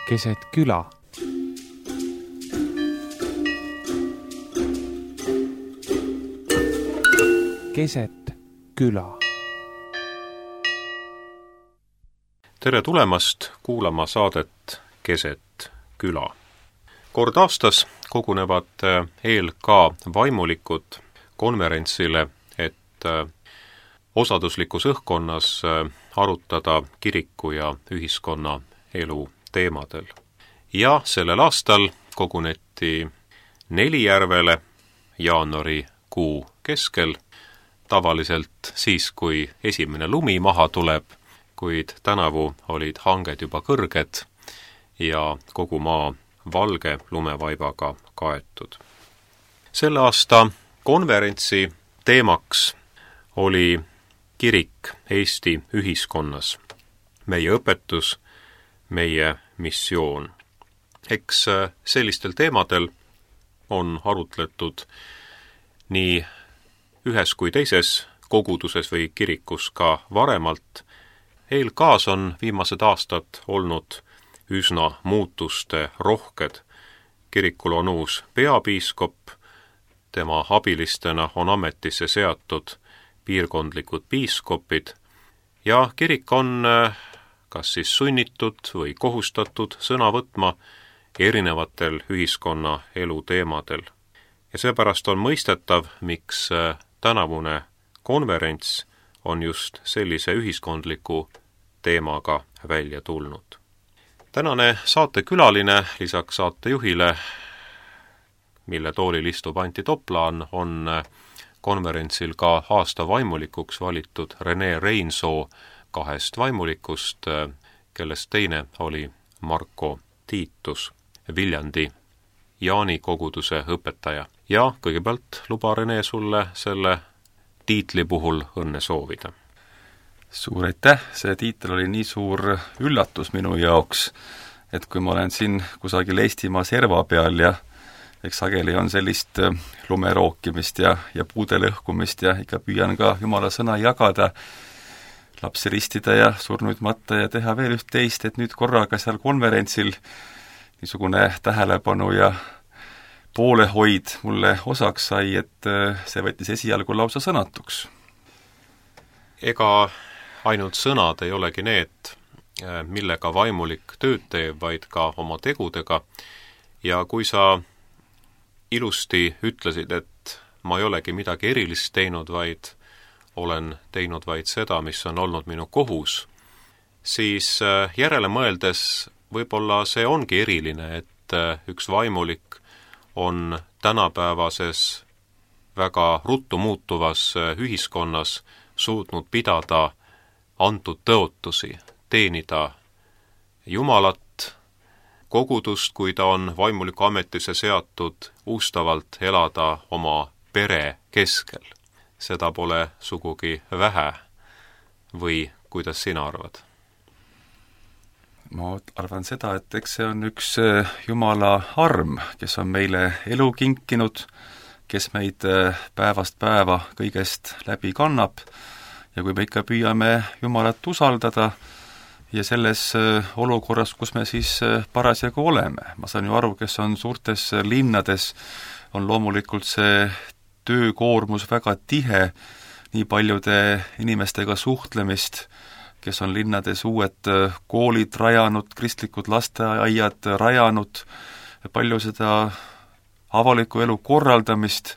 keset küla. Keset küla. Tere tulemast kuulama saadet Keset küla. Kord aastas kogunevad ELK vaimulikud konverentsile, et osaduslikus õhkkonnas arutada kiriku ja ühiskonna elu teemadel. Ja sellel aastal koguneti Nelijärvele jaanuarikuu keskel, tavaliselt siis, kui esimene lumi maha tuleb, kuid tänavu olid hanged juba kõrged ja kogu maa valge lumevaibaga kaetud. Selle aasta konverentsi teemaks oli kirik Eesti ühiskonnas, meie õpetus, meie missioon. Eks sellistel teemadel on arutletud nii ühes kui teises koguduses või kirikus ka varemalt. ELK-s on viimased aastad olnud üsna muutuste rohked. Kirikul on uus peapiiskop, tema abilistena on ametisse seatud piirkondlikud piiskopid ja kirik on kas siis sunnitud või kohustatud sõna võtma erinevatel ühiskonna elu teemadel. Ja seepärast on mõistetav, miks tänavune konverents on just sellise ühiskondliku teemaga välja tulnud. Tänane saatekülaline lisaks saatejuhile, mille toolil istub Anti Toplaan, on konverentsil ka aasta vaimulikuks valitud Rene Reinsoo 2 vaimulikust, kellest teine oli Marko Tiitus, Viljandi Jaani koguduse õpetaja. Ja kõigepealt luba Rene sulle selle tiitli puhul õnne soovida. Suur aitäh, see tiitel oli nii suur üllatus minu jaoks, et kui ma olen siin kusagil Eestimaa serva peal ja eks sageli on sellist lumerookimist ja puude lõhkumist ja ikka püüan ka Jumala sõna jagada, lapsi ristida ja surnuid matta ja teha veel üht-teist, et nüüd korraga seal konverentsil niisugune tähelepanu ja poolehoid mulle osaks sai, et see võttis esialgu lausa sõnatuks. Ega ainult sõnad ei olegi need, millega vaimulik tööd teeb, vaid ka oma tegudega. Ja kui sa ilusti ütlesid, et ma ei olegi midagi erilist teinud, vaid olen teinud vaid seda, mis on olnud minu kohus, siis järele mõeldes võib-olla see ongi eriline, et üks vaimulik on tänapäevases väga ruttu muutuvas ühiskonnas suutnud pidada antud tõotusi, teenida Jumalat, kogudust, kui ta on vaimuliku ametisse seatud, ustavalt elada oma pere keskel. Seda pole sugugi vähe. Või kuidas sina arvad? Ma arvan seda, et eks see on üks Jumala arm, kes on meile elu kinkinud, kes meid päevast päeva kõigest läbi kannab ja kui me ikka püüame Jumalat usaldada ja selles olukorras, kus me siis parasjagu oleme. Ma saan ju aru, kes on suurtes linnades, on loomulikult see töökoormus väga tihe, nii paljude inimestega suhtlemist, kes on linnades uued koolid rajanud, kristlikud lasteaiad rajanud, palju seda avaliku elu korraldamist,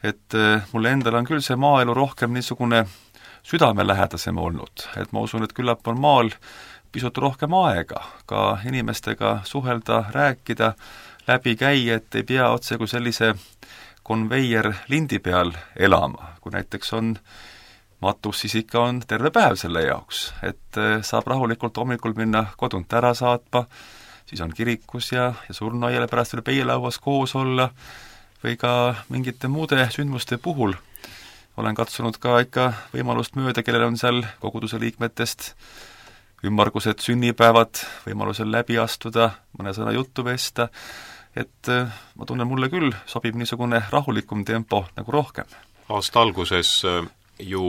et mulle endal on küll see maaelu rohkem niisugune südamelähedasem olnud, et ma usun, et küllap on maal pisut rohkem aega ka inimestega suhelda, rääkida, läbi käia, et ei pea otse kui sellise konveier lindi peal elama, kui näiteks on matus, siis ikka on terve päev selle jaoks, et saab rahulikult hommikul minna kodunt ära saatma, siis on kirikus ja surnuaiale pärast veel peielauas koos olla või ka mingite muude sündmuste puhul. Olen katsunud ka ikka võimalust mööda, kellel on seal koguduse liikmetest ümmargused sünnipäevad, võimalusel läbi astuda, mõne sõna juttu vesta, et ma tunnen, mulle küll sobib niisugune rahulikum tempo nagu rohkem. Aasta alguses ju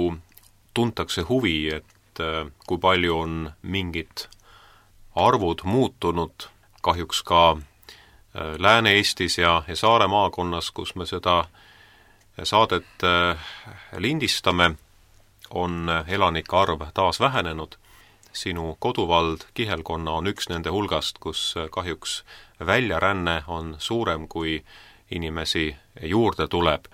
tuntakse huvi, et kui palju on mingid arvud muutunud, kahjuks ka Lääne-Eestis ja Saare maakonnas, kus me seda saadet lindistame, on elanike arv taas vähenenud. Sinu koduvald Kihelkonna on üks nende hulgast, kus kahjuks väljaränne on suurem, kui inimesi juurde tuleb.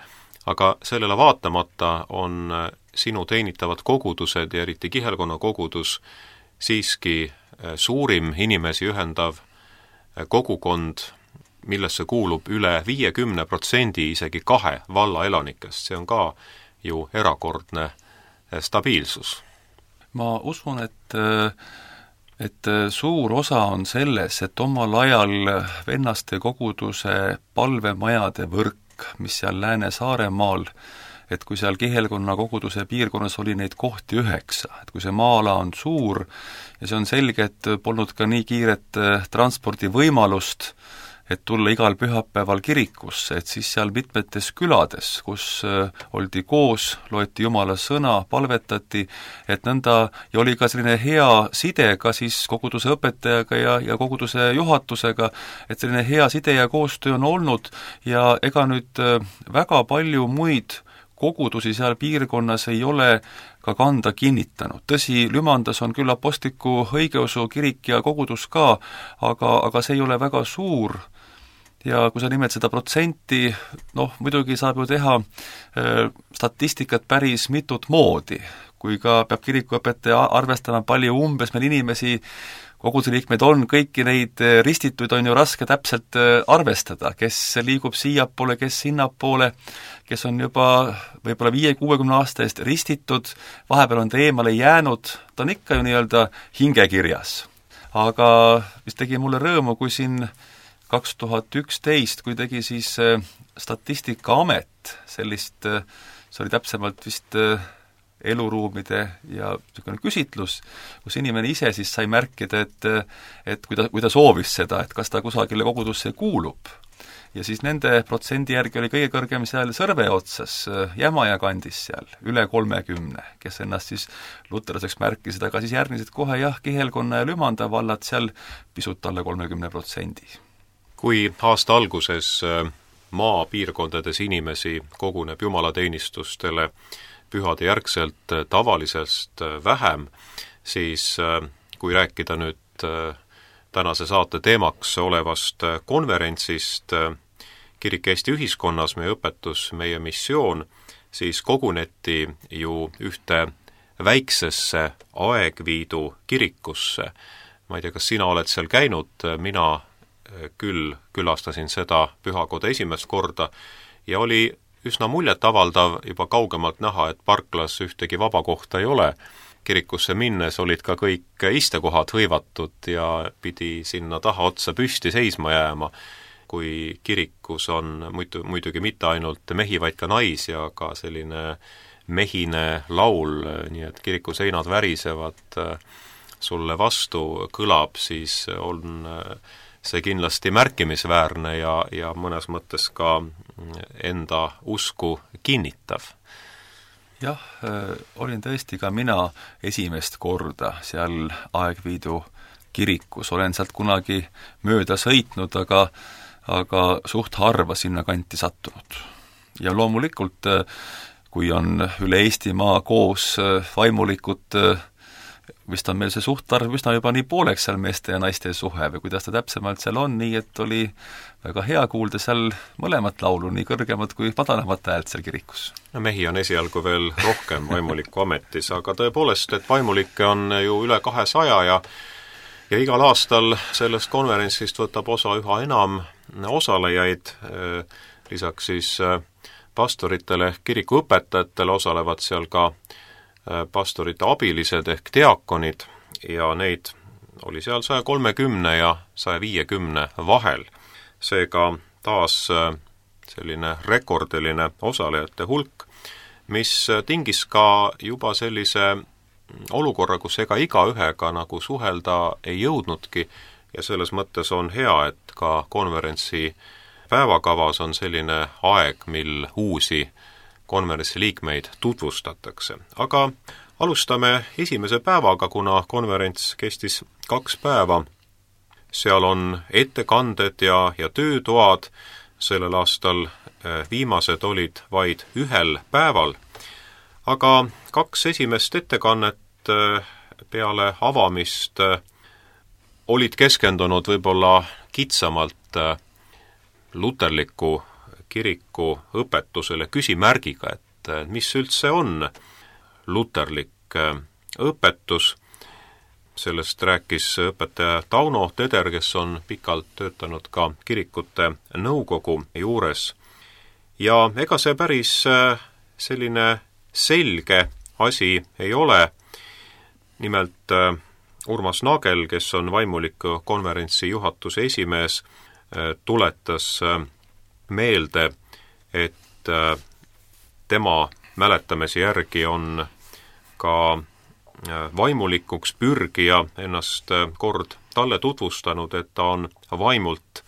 Aga sellele vaatamata on sinu teenitavad kogudused ja eriti Kihelkonna kogudus siiski suurim inimesi ühendav kogukond, millesse kuulub üle 50% isegi 2 valla elanikest. See on ka ju erakordne stabiilsus. Ma usun, et suur osa on selles, et omal ajal vennaste koguduse palvemajade võrk, mis seal Lääne-Saaremaal, et kui seal Kihelkonna koguduse piirkonnas oli neid kohti 9, et kui see maa-ala on suur ja see on selge, et polnud ka nii kiiret transpordivõimalust, et tulla igal pühapäeval kirikusse, et siis seal mitmetes külades, kus oldi koos, loeti Jumala sõna, palvetati, et nõnda, ja oli ka selline hea side ka siis koguduse õpetajaga ja koguduse juhatusega, et selline hea side ja koostöö on olnud ja ega nüüd väga palju muid kogudusi seal piirkonnas ei ole ka kanda kinnitanud. Tõsi, Lümandas on küll apostliku õigeusu kirik ja kogudus ka, aga see ei ole väga suur ja kui sa nimed seda protsenti, muidugi saab ju teha statistikat päris mitut moodi, kui ka peab kirikuõpetaja arvestama palju umbes meil inimesi, koguduse liikmeid on, kõiki neid ristituid on ju raske täpselt arvestada, kes liigub siiapoole, kes sinnapoole, kes on juba võib-olla 5-60 aasta eest ristitud, vahepeal on ta eemale jäänud, ta on ikka ju nii-öelda hingekirjas. Aga mis tegi mulle rõõmu, kui siin 2011, kui tegi siis Statistikaamet sellist, see oli täpsemalt vist eluruumide ja niisugune küsitlus, kus inimene ise siis sai märkida, et kui ta soovis seda, et kas ta kusagile kogudusse kuulub. Ja siis nende protsendi järgi oli kõige kõrgem seal Sõrve otsas, Jämaja kandis seal, üle 30, kes ennast siis luterlaseks märkisid, aga siis järgmised kohe Kihelkonna ja Lümanda vallad seal pisut alla 30%. Kui aasta alguses maapiirkondades inimesi koguneb jumalateenistustele pühade järgselt tavalisest vähem, siis kui rääkida nüüd tänase saate teemaks olevast konverentsist Kirik Eesti ühiskonnas, meie õpetus, meie missioon, siis koguneti ju ühte väiksesse Aegviidu kirikusse. Ma ei tea, kas sina oled seal käinud, mina küll külastasin seda pühakoda esimest korda ja oli üsna muljetavaldav juba kaugemalt näha, et parklas ühtegi vaba kohta ei ole. Kirikusse minnes olid ka kõik istekohad hõivatud ja pidi sinna taha otsa püsti seisma jääma, kui kirikus on muidugi mitte ainult mehi, vaid ka naisi, aga selline mehine laul, nii et kiriku seinad värisevad sulle vastu kõlab, siis on see kindlasti märkimisväärne ja mõnes mõttes ka enda usku kinnitav. Jah, olin tõesti ka mina esimest korda seal Aegviidu kirikus, olen sealt kunagi mööda sõitnud, aga suht harva sinna kanti sattunud. Ja loomulikult, kui on üle Eestimaa koos vaimulikud, vist on meil see suhtarv üsna juba nii pooleks seal meeste ja naiste suhe või kuidas ta täpsemalt seal on, nii et oli väga hea kuulda seal mõlemat laulu, nii kõrgemat kui madalamat häält seal kirikus. No mehi on esialgu veel rohkem vaimuliku ametis, aga tõepoolest, et vaimulikke on ju üle 200 ja igal aastal sellest konverentsist võtab osa üha enam osalejaid, lisaks siis pastoritele ehk kirikuõpetajatele osalevad seal ka pastorite abilised ehk diakonid ja neid oli seal 130 ja 150 vahel. Seega taas selline rekordiline osalejate hulk, mis tingis ka juba sellise olukorra, kus ega igaühega nagu suhelda ei jõudnudki ja selles mõttes on hea, et ka konverentsi päevakavas on selline aeg, mil uusi konverentsi liikmeid tutvustatakse. Aga alustame esimese päevaga, kuna konverents kestis 2 päeva, seal on ettekanded ja töötoad, sellel aastal viimased olid vaid ühel päeval, aga 2 esimest ettekannet peale avamist olid keskendunud võib-olla kitsamalt luterliku kiriku õpetusele küsimärgiga, et mis üldse on luterlik õpetus. Sellest rääkis õpetaja Tauno Teder, kes on pikalt töötanud ka kirikute nõukogu juures. Ja ega see päris selline selge asi ei ole. Nimelt Urmas Nagel, kes on vaimuliku konverentsi juhatuse esimees, tuletas meelde, et tema mäletamise järgi on ka vaimulikuks pürgija ennast kord talle tutvustanud, et ta on vaimult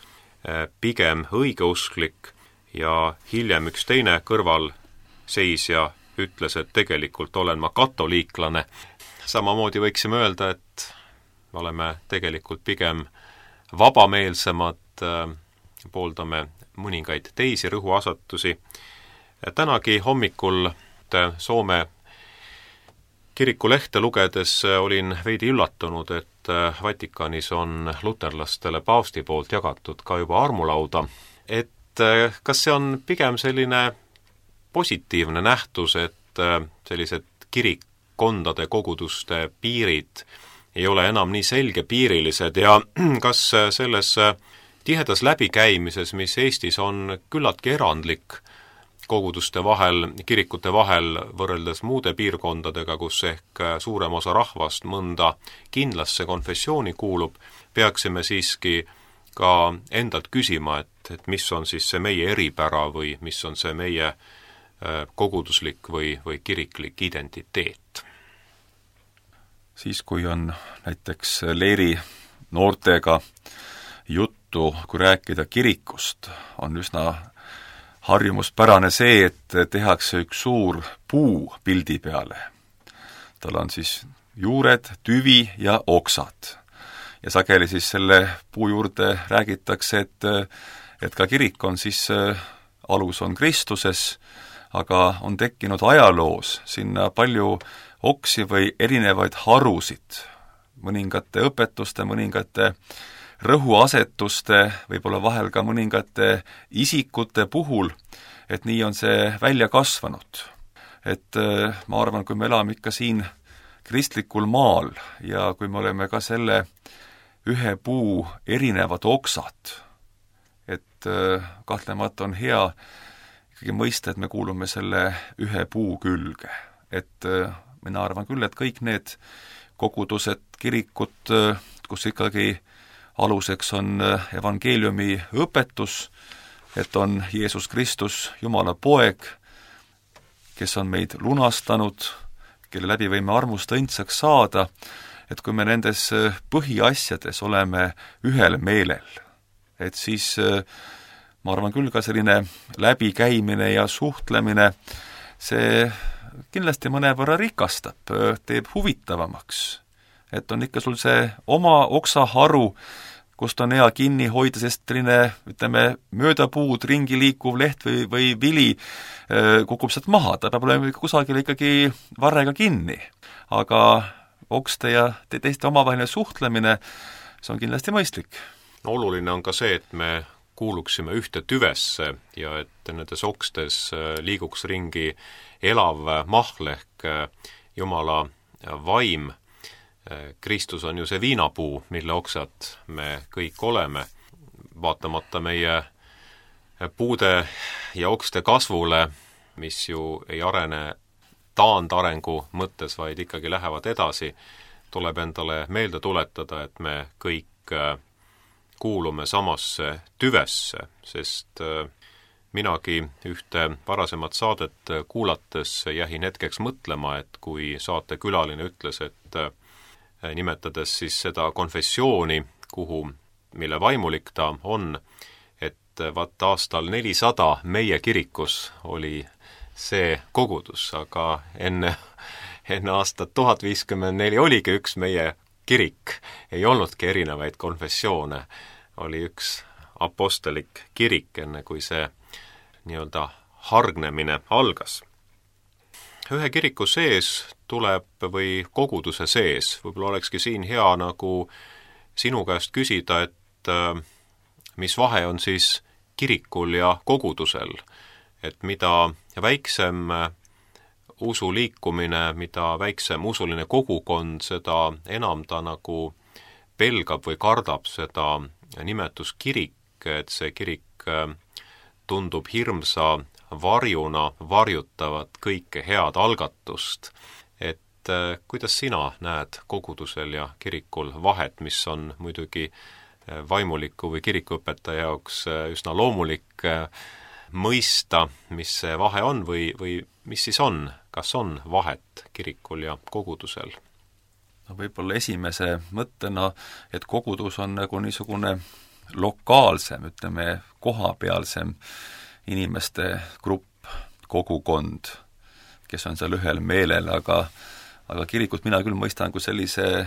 pigem õigeusklik ja hiljem üks teine kõrvalseisja ütles, et tegelikult olen ma katoliiklane. Samamoodi võiksime öelda, et me oleme tegelikult pigem vabameelsemad, pooldame mõningaid teisi rõhuasetusi. Tänagi hommikul Soome kirikulehte lugedes olin veidi üllatunud, et Vatikanis on luterlastele paavsti poolt jagatud ka juba armulauda. Et kas see on pigem selline positiivne nähtus, et sellised kirikkondade koguduste piirid ei ole enam nii selgepiirilised ja kas selles tihedas läbikäimises, mis Eestis on küllaltki erandlik koguduste vahel, kirikute vahel võrreldes muude piirkondadega, kus ehk suurem osa rahvast mõnda kindlasse konfessiooni kuulub, peaksime siiski ka endalt küsima, et mis on siis see meie eripära või mis on see meie koguduslik või kiriklik identiteet. Siis, kui on näiteks leeri noortega juttu, kui rääkida kirikust, on üsna harjumuspärane see, et tehakse üks suur puu pildi peale. Tal on siis juured, tüvi ja oksad. Ja sageli siis selle puu juurde räägitakse, et ka kirik on siis, alus on Kristuses, aga on tekkinud ajaloos sinna palju oksi või erinevaid harusid, mõningate õpetuste, mõningate rõhuasetuste, võib-olla vahel ka mõningate isikute puhul, et nii on see välja kasvanud. Et ma arvan, kui me elame ikka siin kristlikul maal ja kui me oleme ka selle ühe puu erinevad oksad, et kahtlemata on hea ikkagi mõista, et me kuulume selle ühe puu külge. Et mina arvan küll, et kõik need kogudused, kirikud, kus ikkagi aluseks on evangeeliumi õpetus, et on Jeesus Kristus, Jumala poeg, kes on meid lunastanud, kelle läbi võime armust õndsaks saada, et kui me nendes põhiasjades oleme ühel meelel, et siis ma arvan küll ka selline läbikäimine ja suhtlemine, see kindlasti mõnevõrra rikastab, teeb huvitavamaks. Et on ikka sul see oma oksaharu, kust on hea kinni hoida, sest selline, ütleme, mööda puud ringi liikuv leht või vili kukub sealt maha, ta peab olema kusagil ikkagi varrega kinni. Aga okste ja teiste omavaheline suhtlemine, see on kindlasti mõistlik. Oluline on ka see, et me kuuluksime ühte tüvesse ja et nendes okstes liiguks ringi elav mahl ehk Jumala vaim. Kristus on ju see viinapuu, mille oksad me kõik oleme, vaatamata meie puude ja okste kasvule, mis ju ei arene taandarengu mõttes, vaid ikkagi lähevad edasi, tuleb endale meelde tuletada, et me kõik kuulume samasse tüvesse, sest minagi ühte varasemat saadet kuulates jähin hetkeks mõtlema, et kui saatekülaline ütles, et nimetades siis seda konfessiooni, mille vaimulik ta on, et vaat aastal 400 meie kirikus oli see kogudus, aga enne aastat 1054 oligi üks meie kirik, ei olnudki erinevaid konfessioone, oli üks apostlik kirik, enne kui see nii-öelda hargnemine algas. Ühe kiriku sees tuleb või koguduse sees, võib-olla olekski siin hea nagu sinu käest küsida, et mis vahe on siis kirikul ja kogudusel, et mida väiksem usuliikumine, mida väiksem usuline kogukond, seda enam ta nagu pelgab või kardab seda nimetus kirik, et see kirik tundub hirmsa varjuna varjutavat kõike head algatust. Et kuidas sina näed kogudusel ja kirikul vahet, mis on muidugi vaimuliku või kirikuõpetaja jaoks üsna loomulik mõista, mis see vahe on või mis siis on, kas on vahet kirikul ja kogudusel? No võib-olla esimese mõttena, et kogudus on nagu niisugune lokaalsem, ütleme, kohapealsem inimeste grupp, kogukond, kes on seal ühel meelel, aga kirikut mina küll mõistan kui sellise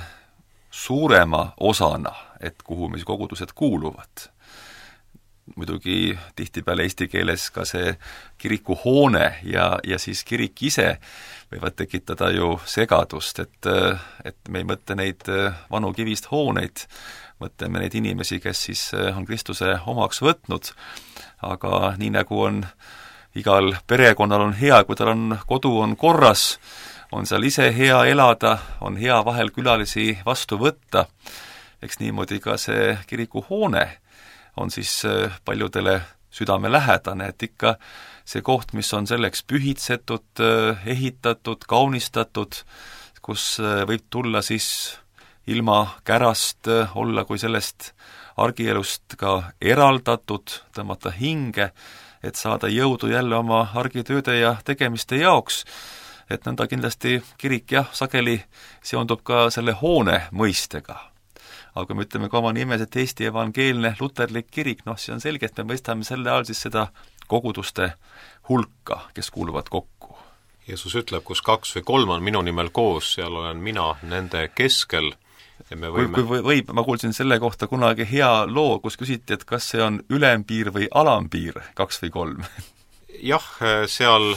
suurema osana, et kuhu mis kogudused kuuluvad. Muidugi tihtipeale eesti keeles ka see kirikuhoone ja siis kirik ise võivad tekitada ju segadust, et me ei mõtle neid vanu kivist hooneid, mõtleme neid inimesi, kes siis on Kristuse omaks võtnud, aga nii nagu on igal perekonnal on hea, kui tal on kodu on korras, on seal ise hea elada, on hea vahel külalisi vastu võtta, eks niimoodi ka see kirikuhoone on siis paljudele südamelähedane, et ikka see koht, mis on selleks pühitsetud, ehitatud, kaunistatud, kus võib tulla siis ilma kärast olla kui sellest argielust ka eraldatud, tõmmata hinge, et saada jõudu jälle oma argitööde ja tegemiste jaoks, et nõnda kindlasti kirik jah, sageli seondub ka selle hoone mõistega. Aga me ütleme ka oma nimes, et Eesti evangeelne luterlik kirik, see on selge, et me mõistame selle all siis seda koguduste hulka, kes kuuluvad kokku. Jeesus ütleb, kus 2 või 3 on minu nimel koos, seal olen mina nende keskel. Ja me võime... ma kuulsin selle kohta kunagi hea loo, kus küsiti, et kas see on ülempiir või alampiir, 2 või 3? Jah, seal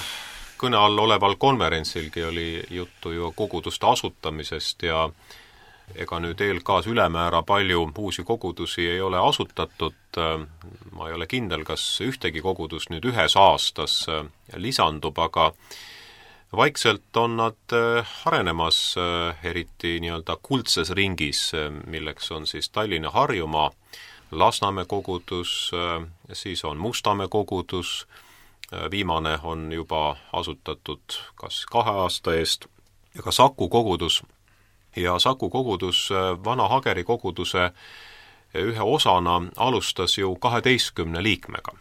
kõne all oleval konverentsilgi oli juttu ju koguduste asutamisest ja ega nüüd eelkaas ülemäära palju uusi kogudusi ei ole asutatud, ma ei ole kindel, kas ühtegi kogudus nüüd ühes aastas lisandub, aga vaikselt on nad arenemas, eriti nii-öelda kuldses ringis, milleks on siis Tallinna Harjumaa, Lasnamäe kogudus, siis on Mustamäe kogudus, viimane on juba asutatud kas 2 aasta eest, ja ka Saku kogudus. Ja Saku kogudus Vana Hageri koguduse ühe osana alustas ju 12 liikmega.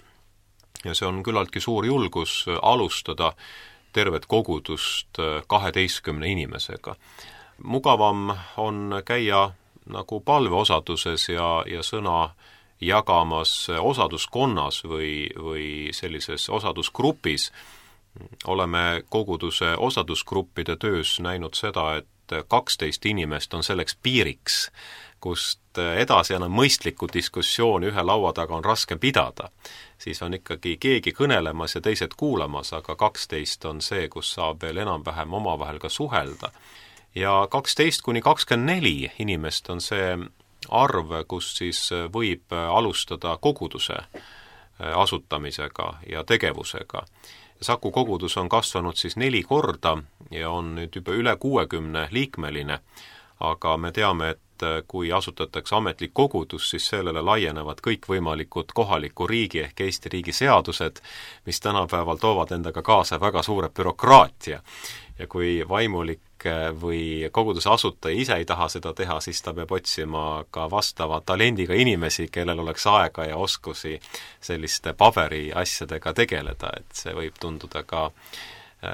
Ja see on küllaltki suur julgus alustada tervet kogudust 12 inimesega. Mugavam on käia nagu palveosaduses ja sõna jagamas osaduskonnas või sellises osadusgrupis. Oleme koguduse osadusgruppide töös näinud seda, et 12 inimest on selleks piiriks, kust edasi enam mõistlikku diskussiooni ühe laua taga on raske pidada. Siis on ikkagi keegi kõnelemas ja teised kuulamas, aga 12 on see, kus saab veel enam-vähem omavahel ka suhelda. Ja 12–24 inimest on see arv, kus siis võib alustada koguduse asutamisega ja tegevusega. Saku kogudus on kasvanud siis 4 korda ja on nüüd juba üle 60 liikmeline, aga me teame, et kui asutatakse ametlik kogudus, siis sellele laienevad kõikvõimalikud kohaliku riigi ehk Eesti riigi seadused, mis tänapäeval toovad endaga kaasa väga suure bürokraatia. Ja kui vaimulik või koguduse asutaja ise ei taha seda teha, siis ta peab otsima ka vastava talendiga inimesi, kellel oleks aega ja oskusi selliste paberi asjadega tegeleda, et see võib tunduda ka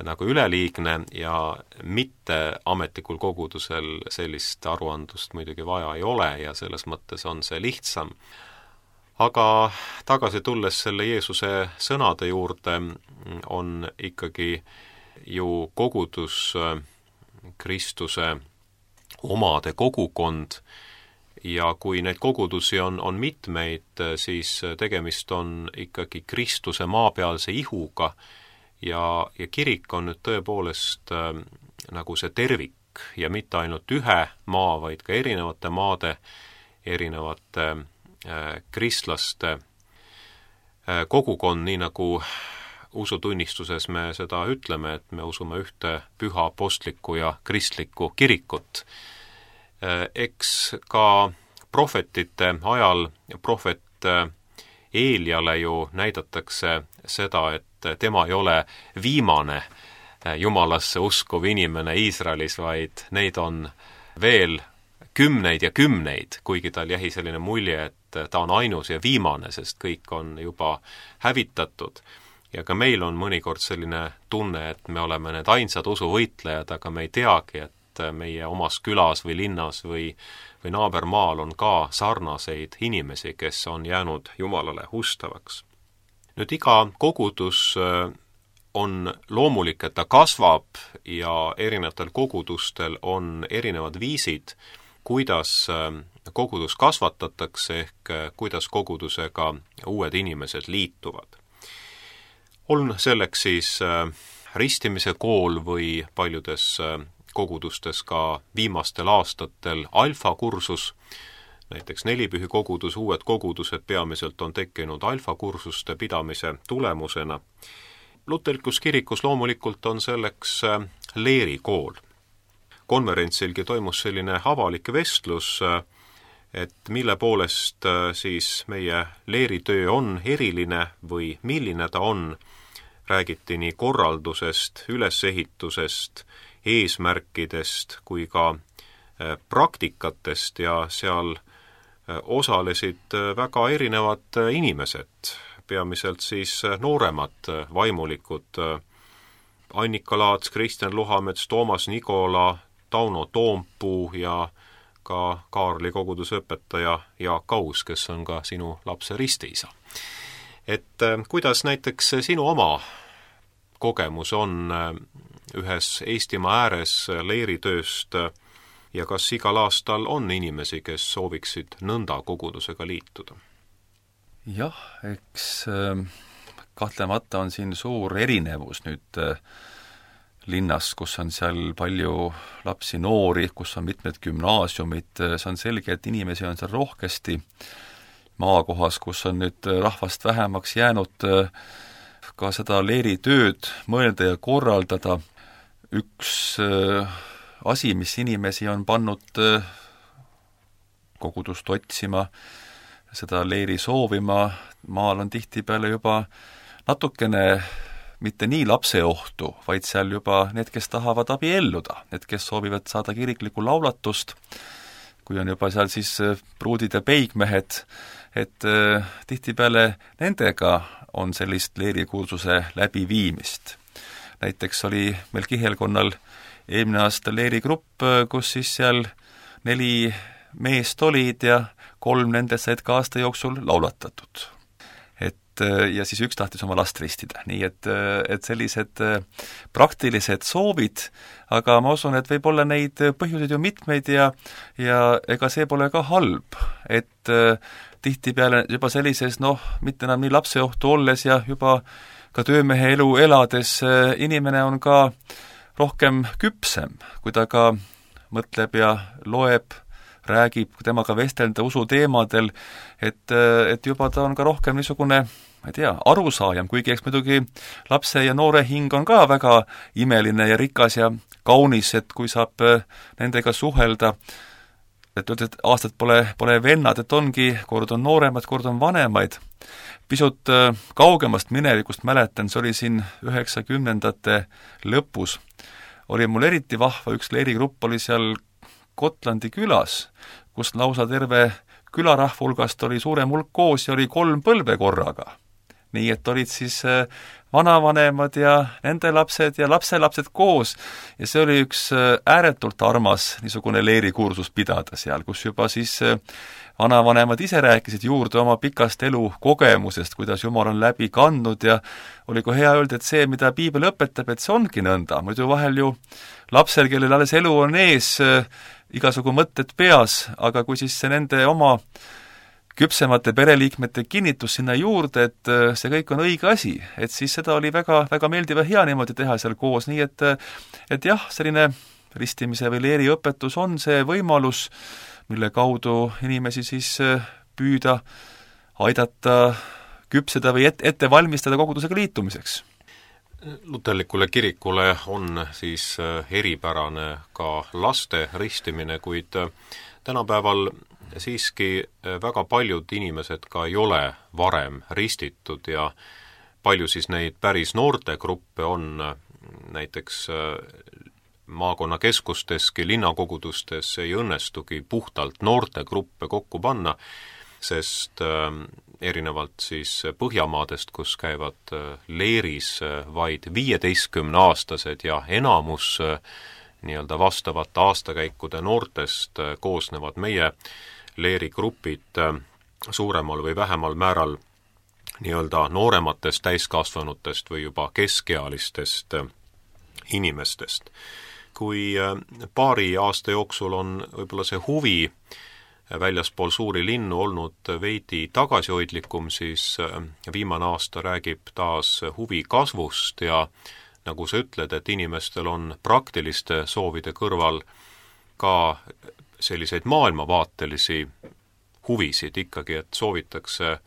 nagu üleliigne ja mitte ametlikul kogudusel sellist aruandlust muidugi vaja ei ole ja selles mõttes on see lihtsam. Aga tagasi tulles selle Jeesuse sõnade juurde on ikkagi ju kogudus Kristuse omade kogukond ja kui neid kogudusi on mitmeid, siis tegemist on ikkagi Kristuse maapealse ihuga ja kirik on nüüd tõepoolest nagu see tervik ja mitte ainult ühe maa, vaid ka erinevate maade, erinevate kristlaste kogukond, nii nagu usutunnistuses me seda ütleme, et me usume ühte püha apostlikku ja kristlikku kirikut. Eks ka prohvetite ajal prohvet Eeliale ju näidatakse seda, et tema ei ole viimane Jumalasse uskuv inimene Iisraelis, vaid neid on veel kümneid ja kümneid, kuigi tal jäi selline mulje, et ta on ainus ja viimane, sest kõik on juba hävitatud. Ja ka meil on mõnikord selline tunne, et me oleme need ainsad usuvõitlejad, aga me ei teagi, et meie omas külas või linnas või naabermaal on ka sarnaseid inimesi, kes on jäänud Jumalale ustavaks. Nüüd iga kogudus on loomulik, et ta kasvab ja erinevatel kogudustel on erinevad viisid, kuidas kogudus kasvatatakse ehk kuidas kogudusega uued inimesed liituvad. On selleks siis ristimise kool või paljudes kogudustes ka viimastel aastatel alfakursus, näiteks Nelipühi kogudus, uued kogudused peamiselt on tekkinud alfakursuste pidamise tulemusena. Luterlikus kirikus loomulikult on selleks leerikool. Konverentsilgi toimus selline avalik vestlus, et mille poolest siis meie leeritöö on eriline või milline ta on. Räägiti nii korraldusest, ülesehitusest, eesmärkidest kui ka praktikatest ja seal osalesid väga erinevad inimesed, peamiselt siis nooremad vaimulikud, Annika Laats, Kristjan Luhamets, Toomas Nikola, Tauno Toompuu ja ka Kaarli kogudusõpetaja Jaak Kaus, kes on ka sinu lapse ristiisa. Et kuidas näiteks sinu oma kogemus on ühes Eestimaa ääres leeritööst ja kas igal aastal on inimesi, kes sooviksid nõnda kogudusega liituda? Jah, eks kahtlemata on siin suur erinevus nüüd linnas, kus on seal palju lapsi, noori, kus on mitmed gümnaasiumid, see on selge, et inimesi on seal rohkesti. Maakohas, kus on nüüd rahvast vähemaks jäänud, ka seda leeritööd mõelda ja korraldada. Üks asi, mis inimesi on pannud kogudust otsima, seda leeri soovima, maal on tihtipeale juba natukene mitte nii lapseohtu, vaid seal juba need, kes tahavad abielluda, need, kes soovivad saada kiriklikku laulatust, kui on juba seal siis pruudid ja peigmehed, et tihtipeale nendega on sellist leerikursuse läbiviimist. Näiteks oli meil Kihelkonnal eelmine aasta leerigrupp, kus siis seal 4 meest olid ja 3 nendest said ka aasta jooksul laulatatud. Ja siis üks tahtis oma last ristida, nii et sellised praktilised soovid, aga ma usun, et võib olla neid põhjuseid ju mitmeid ja ega see pole ka halb, et tihtipeale juba sellises, mitte enam nii lapseohtu olles ja juba ka töömehe elu elades inimene on ka rohkem küpsem, kui ta ka mõtleb ja loeb, räägib temaga vestelda usuteemadel, et juba ta on ka rohkem niisugune, ma ei tea, arusaajam, kuigi eks muidugi lapse ja noore hing on ka väga imeline ja rikas ja kaunis, et kui saab nendega suhelda, et aastad pole vennad, et ongi, kord on nooremad, kord on vanemaid. Pisut kaugemast minevikust mäletan, see oli siin 90ndate lõpus, oli mul eriti vahva, üks leerigrupp oli seal Kotlandi külas, kus lausa terve külarahva hulgast oli suurem hulk koos ja oli 3 põlve korraga. Nii et olid siis vanavanemad ja nende lapsed ja lapselapsed koos ja see oli üks ääretult armas niisugune leerikursus pidada seal, kus juba siis vanavanemad ise rääkisid juurde oma pikast elukogemusest, kuidas Jumal on läbi kandnud ja oli ka hea öelda, et see, mida piibel õpetab, et see ongi nõnda. Muidu vahel ju lapsel, kellel alles elu on ees, igasugu mõtted peas, aga kui siis see nende oma küpsemate pereliikmete kinnitus sinna juurde, et see kõik on õige asi, et siis seda oli väga, väga meeldiv ja hea niimoodi teha seal koos, nii et jah, selline ristimise või leeriõpetus on see võimalus, mille kaudu inimesi siis püüda aidata küpseda või ette valmistada kogudusega liitumiseks. Luterlikule kirikule on siis eripärane ka laste ristimine, kuid tänapäeval siiski väga paljud inimesed ka ei ole varem ristitud ja palju siis neid päris noortegruppe on näiteks maakonnakeskusteski, linnakogudustes ei õnnestugi puhtalt noortegruppe kokku panna, sest erinevalt siis Põhjamaadest, kus käivad leeris vaid 15-aastased ja enamus nii-öelda vastavate aastakäikude noortest koosnevad meie leerigrupid suuremal või vähemal määral nii-öelda noorematest täiskasvanutest või juba keskealistest inimestest. Kui paari aasta jooksul on võib-olla see huvi väljaspool suuri linnu olnud veidi tagasihoidlikum, siis viimane aasta räägib taas huvi kasvust ja nagu sa ütled, et inimestel on praktiliste soovide kõrval ka selliseid maailmavaatelisi huvisid ikkagi, et soovitakse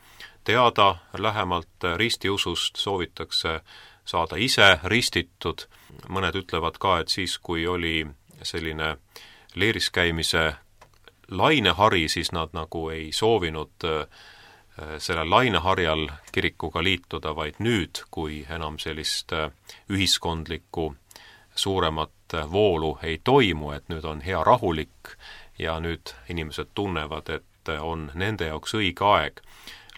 teada lähemalt ristiusust, soovitakse saada ise ristitud. Mõned ütlevad ka, et siis, kui oli selline leeris käimise lainehari, siis nad nagu ei soovinud selle laineharjal kirikuga liituda, vaid nüüd, kui enam sellist ühiskondlikku suuremat voolu ei toimu, et nüüd on hea rahulik ja nüüd inimesed tunnevad, et on nende jaoks õige aeg.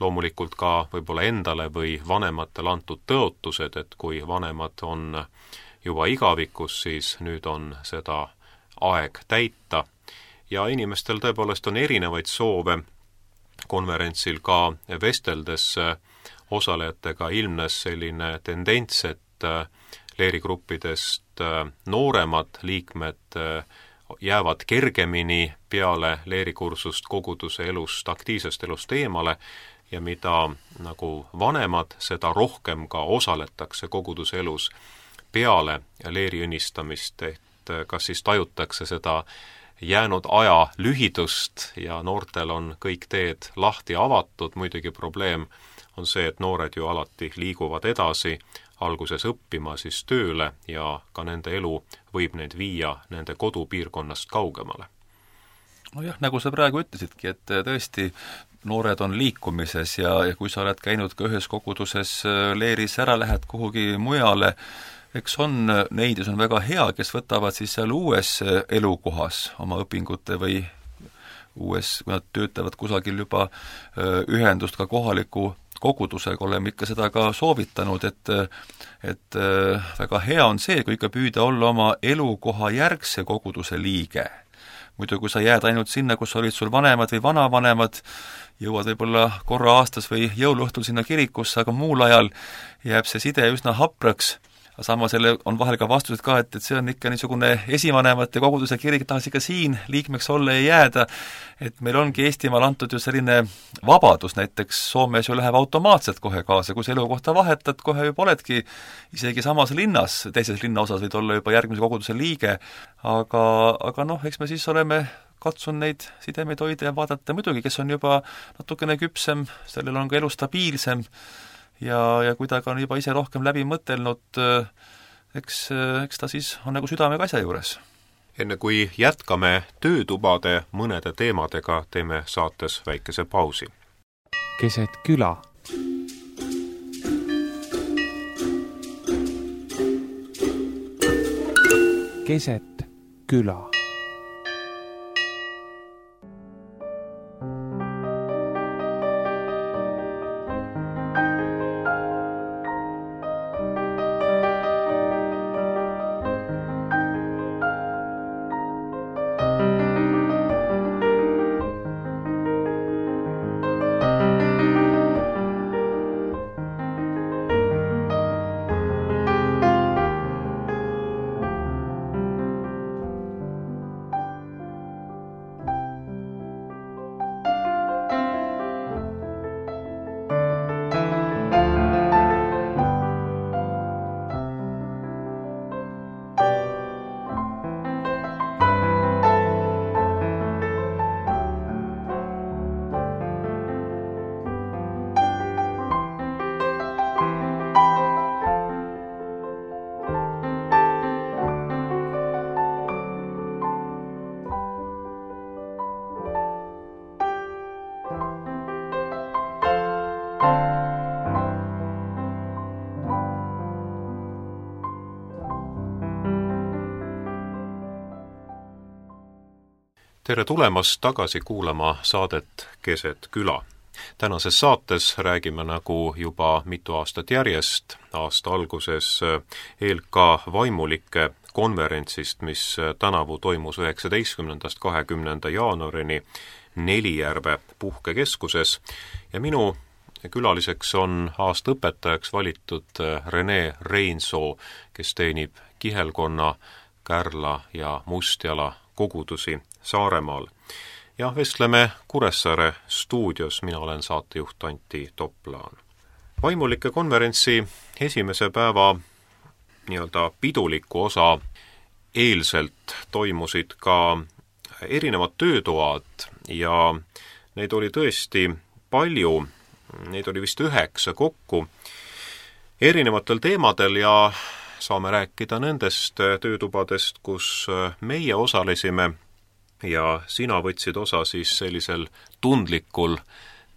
Loomulikult ka võib-olla endale või vanematele antud tõotused, et kui vanemad on juba igavikus, siis nüüd on seda aeg täita. Ja inimestel tõepoolest on erinevaid soove. Konverentsil ka vesteldes osalejatega ilmnes selline tendents, et leerigruppidest nooremad liikmed jäävad kergemini peale leerikursust koguduse elust, aktiivsest elust eemale ja mida nagu vanemad, seda rohkem ka osaletakse koguduse elus peale leeri õnnistamist, et kas siis tajutakse seda jäänud aja lühidust ja noortel on kõik teed lahti avatud, muidugi probleem on see, et noored ju alati liiguvad edasi, alguses õppima, siis tööle ja ka nende elu võib neid viia nende kodupiirkonnast kaugemale. Nojah, nagu sa praegu ütlesidki, et tõesti noored on liikumises ja kui sa oled käinud ka ühes koguduses leeris, ära lähed kuhugi mujale, eks on neid, kes on väga hea, kes võtavad siis seal uues elukohas oma õpingute või uues, kui nad töötavad kusagil juba ühendust ka kohaliku kogudusega, oleme ikka seda ka soovitanud, et väga hea on see, kui ikka püüda olla oma elukoha järgse koguduse liige. Muidu kui sa jääd ainult sinna, kus olid sul vanemad või vanavanemad, jõuad võib-olla korra aastas või jõuluõhtul sinna kirikusse, aga muul ajal jääb see side üsna hapraks. Samas selle on vahel ka vastused ka, et see on ikka niisugune esivanemate koguduse kirik, tahaks ikka siin liikmeks olla ja jääda, et meil ongi Eestimaal antud ju selline vabadus, näiteks Soomes ju läheb automaatselt kohe kaasa, kui sa elukohta vahetad, kohe juba oledki isegi samas linnas, teises linnaosas võid olla juba järgmise koguduse liige, aga noh, eks me siis oleme katsun neid sidemeid hoida ja vaadata muidugi, kes on juba natukene küpsem, sellel on ka elu stabiilsem, ja kui ta ka on juba ise rohkem läbi mõtelnud, eks ta siis on nagu südamega asja juures. Enne kui jätkame töötubade mõnede teemadega, teeme saates väikese pausi. Keset küla. Keset küla. tere tulemast tagasi kuulama saadet Keset küla. Tänases saates räägime nagu juba mitu aastat järjest aasta alguses ELK vaimulike konverentsist, mis tänavu toimus 19.–20. jaanuarini Nelijärve puhkekeskuses ja minu külaliseks on aasta õpetajaks valitud Rene Reinsoo, kes teenib Kihelkonna, Kärla ja Mustjala kogudusi Saaremaal. Ja vestleme Kuressaare stuudios, mina olen saatejuht Antti Toplaan. Vaimulike konverentsi esimese päeva nii-öelda piduliku osa eelselt toimusid ka erinevad töötoad ja neid oli tõesti palju, neid oli vist 9 kokku erinevatel teemadel ja saame rääkida nendest töötubadest, kus meie osalesime ja sina võtsid osa siis sellisel tundlikul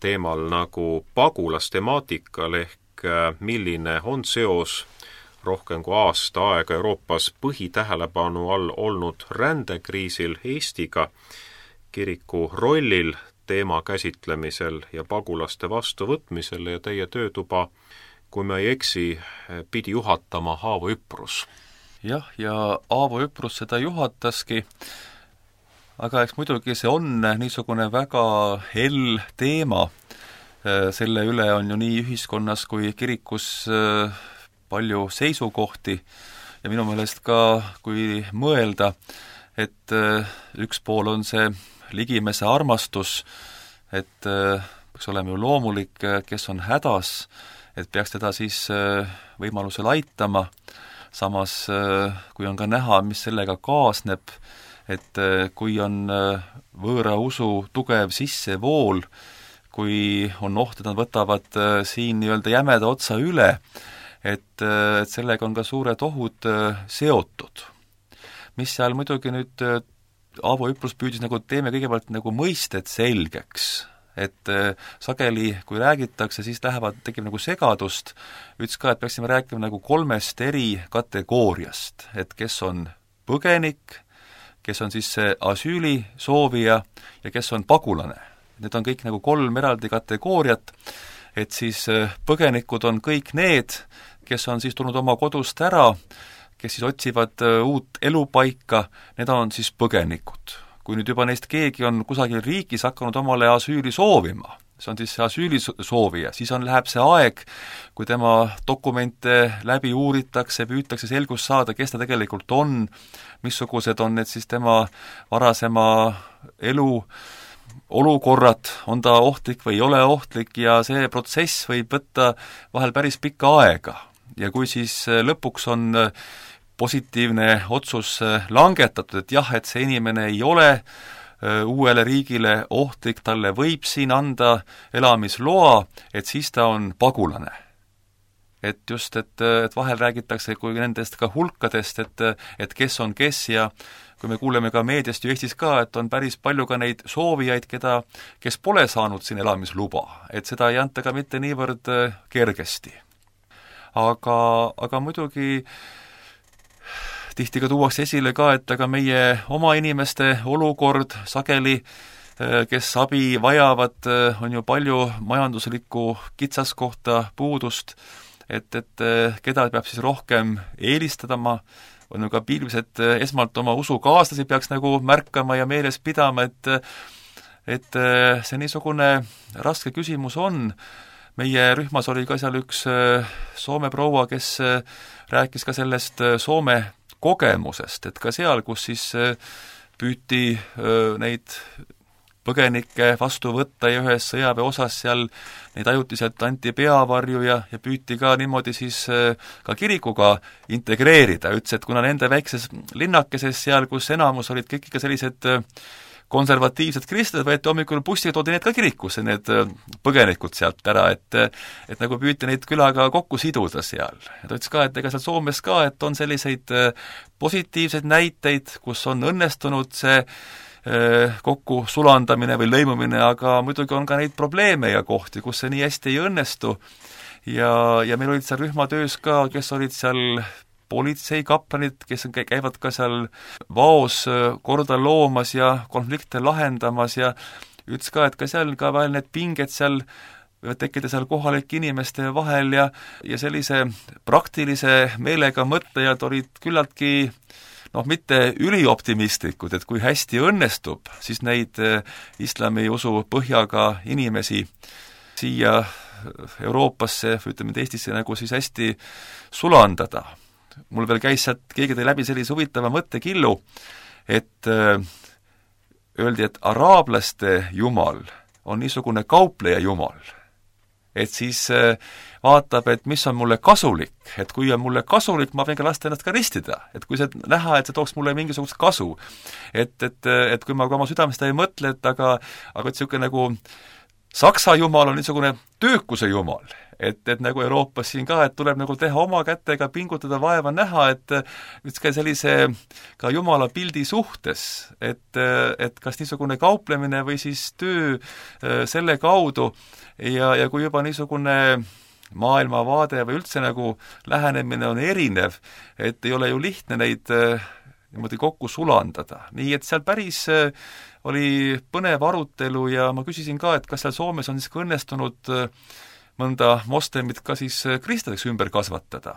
teemal nagu pagulastemaatikal ehk milline on seos rohkem kui aasta aega Euroopas põhitähelepanu all olnud rändekriisil Eestiga, kiriku rollil teema käsitlemisel ja pagulaste vastuvõtmisel ja teie töötuba, kui me ei eksi, pidi juhatama Aavo Üprus. Jah, ja Aavo Üprus seda juhataski, aga eks muidugi see on niisugune väga hell teema. Selle üle on ju nii ühiskonnas kui kirikus palju seisukohti ja minu meelest ka, kui mõelda, et üks pool on see ligimese armastus, et peaks olema ju loomulik, kes on hädas, et peaks teda siis võimalusel aitama, samas kui on ka näha, mis sellega kaasneb, et kui on võõra usu tugev sissevool, kui on oht, et nad võtavad siin nii-öelda jämeda otsa üle, et sellega on ka suured ohud seotud. Mis seal muidugi nüüd Aavo Üprus püüdis nagu teeme kõigepealt nagu mõisted selgeks, et sageli, kui räägitakse, siis tekib nagu segadust, ütles ka, et peaksime rääkima nagu 3 eri kategooriast, et kes on põgenik, kes on siis see asüüli soovija ja kes on pagulane. Need on kõik nagu 3 eraldi kategooriat, et siis põgenikud on kõik need, kes on siis tulnud oma kodust ära, kes siis otsivad uut elupaika, need on siis põgenikud. Kui nüüd juba neist keegi on kusagil riigis hakanud omale asüüli soovima, see on siis see asüüli soovija, siis läheb see aeg, kui tema dokumente läbi uuritakse, püütakse selgust saada, kes ta tegelikult on, missugused on need siis tema varasema elu olukorrad, on ta ohtlik või ei ole ohtlik ja see protsess võib võtta vahel päris pikka aega. Ja kui siis lõpuks on positiivne otsus langetatud, et jah, et see inimene ei ole uuele riigile ohtlik, talle võib siin anda elamisloa, et siis ta on pagulane. Et just, et vahel räägitakse kui nendest ka hulkadest, et kes on kes ja kui me kuuleme ka meediast ju Eestis ka, et on päris palju ka neid soovijaid, kes pole saanud siin elamisluba, et seda ei anta ka mitte niivõrd kergesti. Aga muidugi tihti ka tuuakse esile ka, et aga meie oma inimeste olukord sageli, kes abi vajavad, on ju palju majanduslikku kitsaskohta puudust, et keda peab siis rohkem eelistama, on ju ka piilmised esmalt oma usukaaslasi peaks nagu märkama ja meeles pidama, et see niisugune raske küsimus on. Meie rühmas oli ka seal üks Soome proua, kes rääkis ka sellest Soome kogemusest, et ka seal, kus siis püüti neid põgenikke vastu võtta ja ühes sõjaväeosas seal neid ajutiselt anti peavarju ja püüti ka niimoodi siis ka kirikuga integreerida. Ütles, et kuna nende väikses linnakeses seal, kus enamus olid kõik ikka sellised konservatiivsed kristlased, võeti hommikul bussiga, toodi need ka kirikusse, need põgenikud sealt ära, et nagu püüti neid külaga kokku siduda seal. Ja ta ütles ka, et ega seal Soomes ka, et on selliseid positiivseid näiteid, kus on õnnestunud see kokku sulandamine või lõimumine, aga muidugi on ka neid probleeme ja kohti, kus see nii hästi ei õnnestu. Ja meil olid seal rühmatöös ka, kes olid seal politseikaplanid, kes käivad ka seal vaos korda loomas ja konflikte lahendamas ja ütles ka, et ka seal ka vahel need pinged seal võivad tekkida seal kohalike inimeste vahel ja sellise praktilise meelega mõtlejad olid küllaltki mitte ülioptimistlikud, et kui hästi õnnestub, siis neid islami usu põhjaga inimesi siia Euroopasse, ütleme Eestisse nagu siis hästi sulandada. Mul veel käis sealt, keegi tõi läbi sellise huvitava mõttekillu, et öeldi, et araablaste jumal on niisugune kaupleja jumal. Et siis vaatab, et mis on mulle kasulik, et kui on mulle kasulik, ma võin ka lasta ennast ka ristida, et kui see näha, et see tooks mulle mingisugust kasu. Et kui ma ka oma südames seda ei mõtle, aga et niisugune nagu Saksa jumal on niisugune töökuse jumal, et nagu Euroopas siin ka, et tuleb nagu teha oma kätega, pingutada, vaeva näha, et ka sellise ka jumala pildi suhtes, et kas niisugune kauplemine või siis töö selle kaudu ja kui juba niisugune maailmavaade või üldse nagu lähenemine on erinev, et ei ole ju lihtne neid niimoodi kokku sulandada. Nii et seal päris oli põnev arutelu ja ma küsisin ka, et kas seal Soomes on siis ka õnnestunud mõnda moslemit ka siis kristlaseks ümber kasvatada.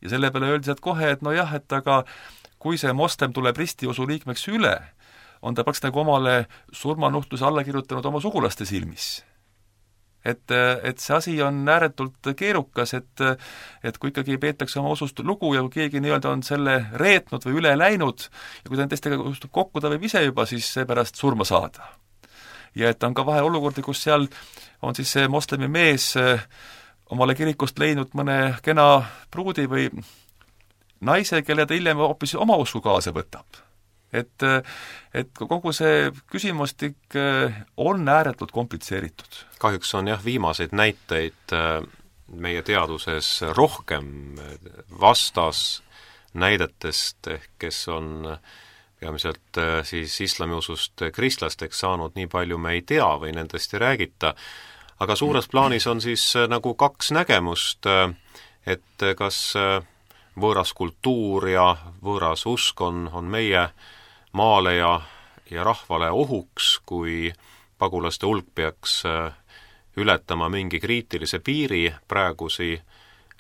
Ja selle peale öeldi sealt kohe, et nojah, et aga kui see moslem tuleb ristiusu liikmeks üle, on ta peaks nagu omale surmanuhtluse alla kirjutanud oma sugulaste silmis. Et see asi on ääretult keerukas, et kui ikkagi peetakse oma usust lugu ja kui keegi nii-öelda on selle reetnud või üle läinud ja kui ta teistega ustub kokku, ta võib ise juba siis seepärast surma saada. Ja et on ka vahel olukordi, kus seal on siis see moslemi mees omale kirikust leidnud mõne kena pruudi või naise, kelle ta hiljem hoopis oma usku kaasa võtab. Et kogu see küsimustik on ääretult komplitseeritud. Kahjuks on jah viimaseid näiteid meie teaduses rohkem vastas näidetest, kes on peamiselt siis islamiusust kristlasteks saanud, nii palju me ei tea või nendest ei räägita, aga suures plaanis on siis nagu kaks nägemust, et kas võõras kultuur ja võõras usk on meie maale ja rahvale ohuks, kui pagulaste hulk peaks ületama mingi kriitilise piiri, praegusi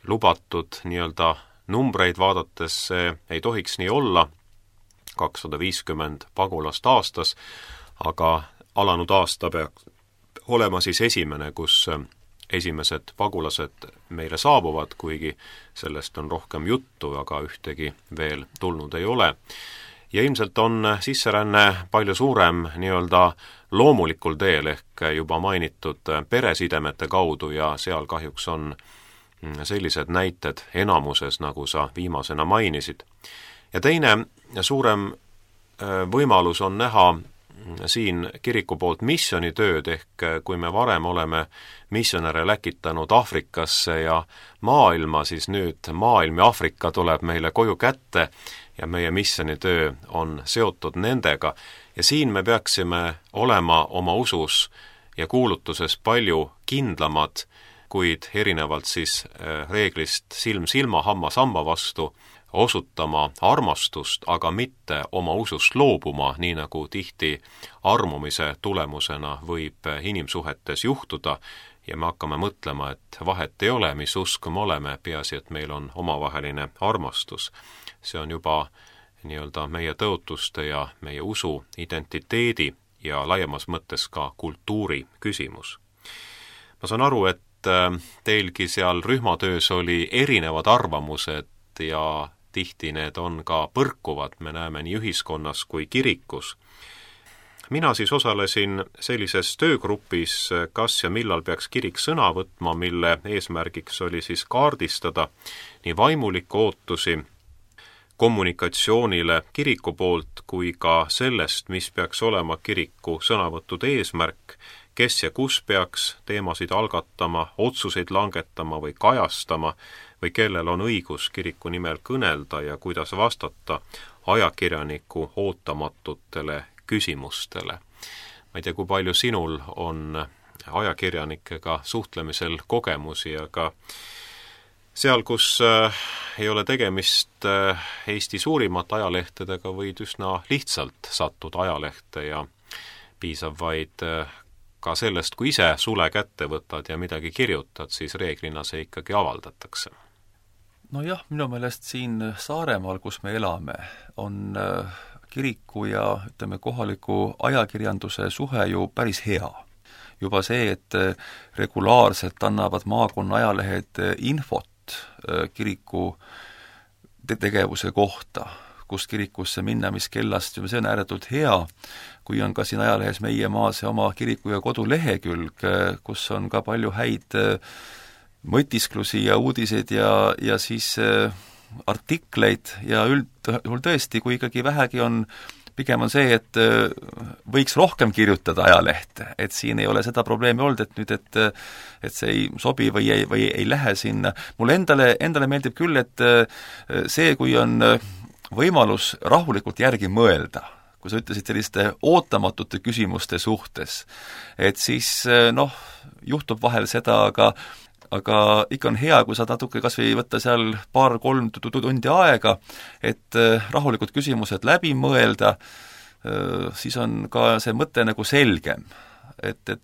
lubatud nii-öelda numbreid vaadates ei tohiks nii olla, 250 pagulast aastas, aga alanud aasta peaks olema siis esimene, kus esimesed pagulased meile saabuvad, kuigi sellest on rohkem juttu, aga ühtegi veel tulnud ei ole. Ja ilmselt on sisseränne palju suurem nii-öelda loomulikul teel ehk juba mainitud peresidemete kaudu ja seal kahjuks on sellised näited enamuses, nagu sa viimasena mainisid. Ja teine suurem võimalus on näha siin kiriku poolt missionitööd, ehk kui me varem oleme missionäre läkitanud Aafrikasse ja maailma, siis nüüd maailm ja Aafrika tuleb meile koju kätte ja meie missionitöö on seotud nendega. Ja siin me peaksime olema oma usus ja kuulutuses palju kindlamad, kuid erinevalt siis reeglist silm silma, hammas hamba vastu, osutama armastust, aga mitte oma usust loobuma, nii nagu tihti armumise tulemusena võib inimsuhetes juhtuda ja me hakkame mõtlema, et vahet ei ole, mis usk me oleme, peaasi, et meil on omavaheline armastus. See on juba nii-öelda meie tõotuste ja meie usu identiteedi ja laiemas mõttes ka kultuuri küsimus. Ma saan aru, et teilgi seal rühmatöös oli erinevad arvamused ja tihti need on ka põrkuvad, me näeme nii ühiskonnas kui kirikus. Mina siis osalesin sellises töögrupis, kas ja millal peaks kirik sõna võtma, mille eesmärgiks oli siis kaardistada nii vaimulikke ootusi kommunikatsioonile kiriku poolt kui ka sellest, mis peaks olema kiriku sõnavõttude eesmärk, kes ja kus peaks teemasid algatama, otsuseid langetama või kajastama või kellel on õigus kiriku nimel kõnelda ja kuidas vastata ajakirjaniku ootamatutele küsimustele. Ma ei tea, kui palju sinul on ajakirjanikega suhtlemisel kogemusi, aga seal, kus ei ole tegemist Eesti suurimate ajalehtedega, võid üsna lihtsalt sattuda ajalehte ja piisab vaid ka sellest, kui ise sule kätte võtad ja midagi kirjutad, siis reeglina see ikkagi avaldatakse. Nojah, minu meelest siin Saaremaal, kus me elame, on kiriku ja ütleme, kohaliku ajakirjanduse suhe ju päris hea. Juba see, et regulaarselt annavad maakonna ajalehed infot kiriku tegevuse kohta, kust kirikusse minna, mis kellast, see on ääretult hea, kui on ka siin ajalehes Meie maa see oma kiriku ja kodulehekülg, kus on ka palju häid mõtisklusi ja uudiseid ja siis artikleid ja üldjuhul tõesti, kui ikkagi vähegi on, pigem on see, et võiks rohkem kirjutada ajalehte, et siin ei ole seda probleemi olnud, et nüüd, et see ei sobi või ei lähe sinna. Mulle endale meeldib küll, et see, kui on võimalus rahulikult järgi mõelda, kui sa ütlesid selliste ootamatute küsimuste suhtes, et siis juhtub vahel seda, aga ikka on hea, kui sa natuke kas või võtta seal 2-3 tundi aega, et rahulikud küsimused läbi mõelda, siis on ka see mõte nagu selgem. Et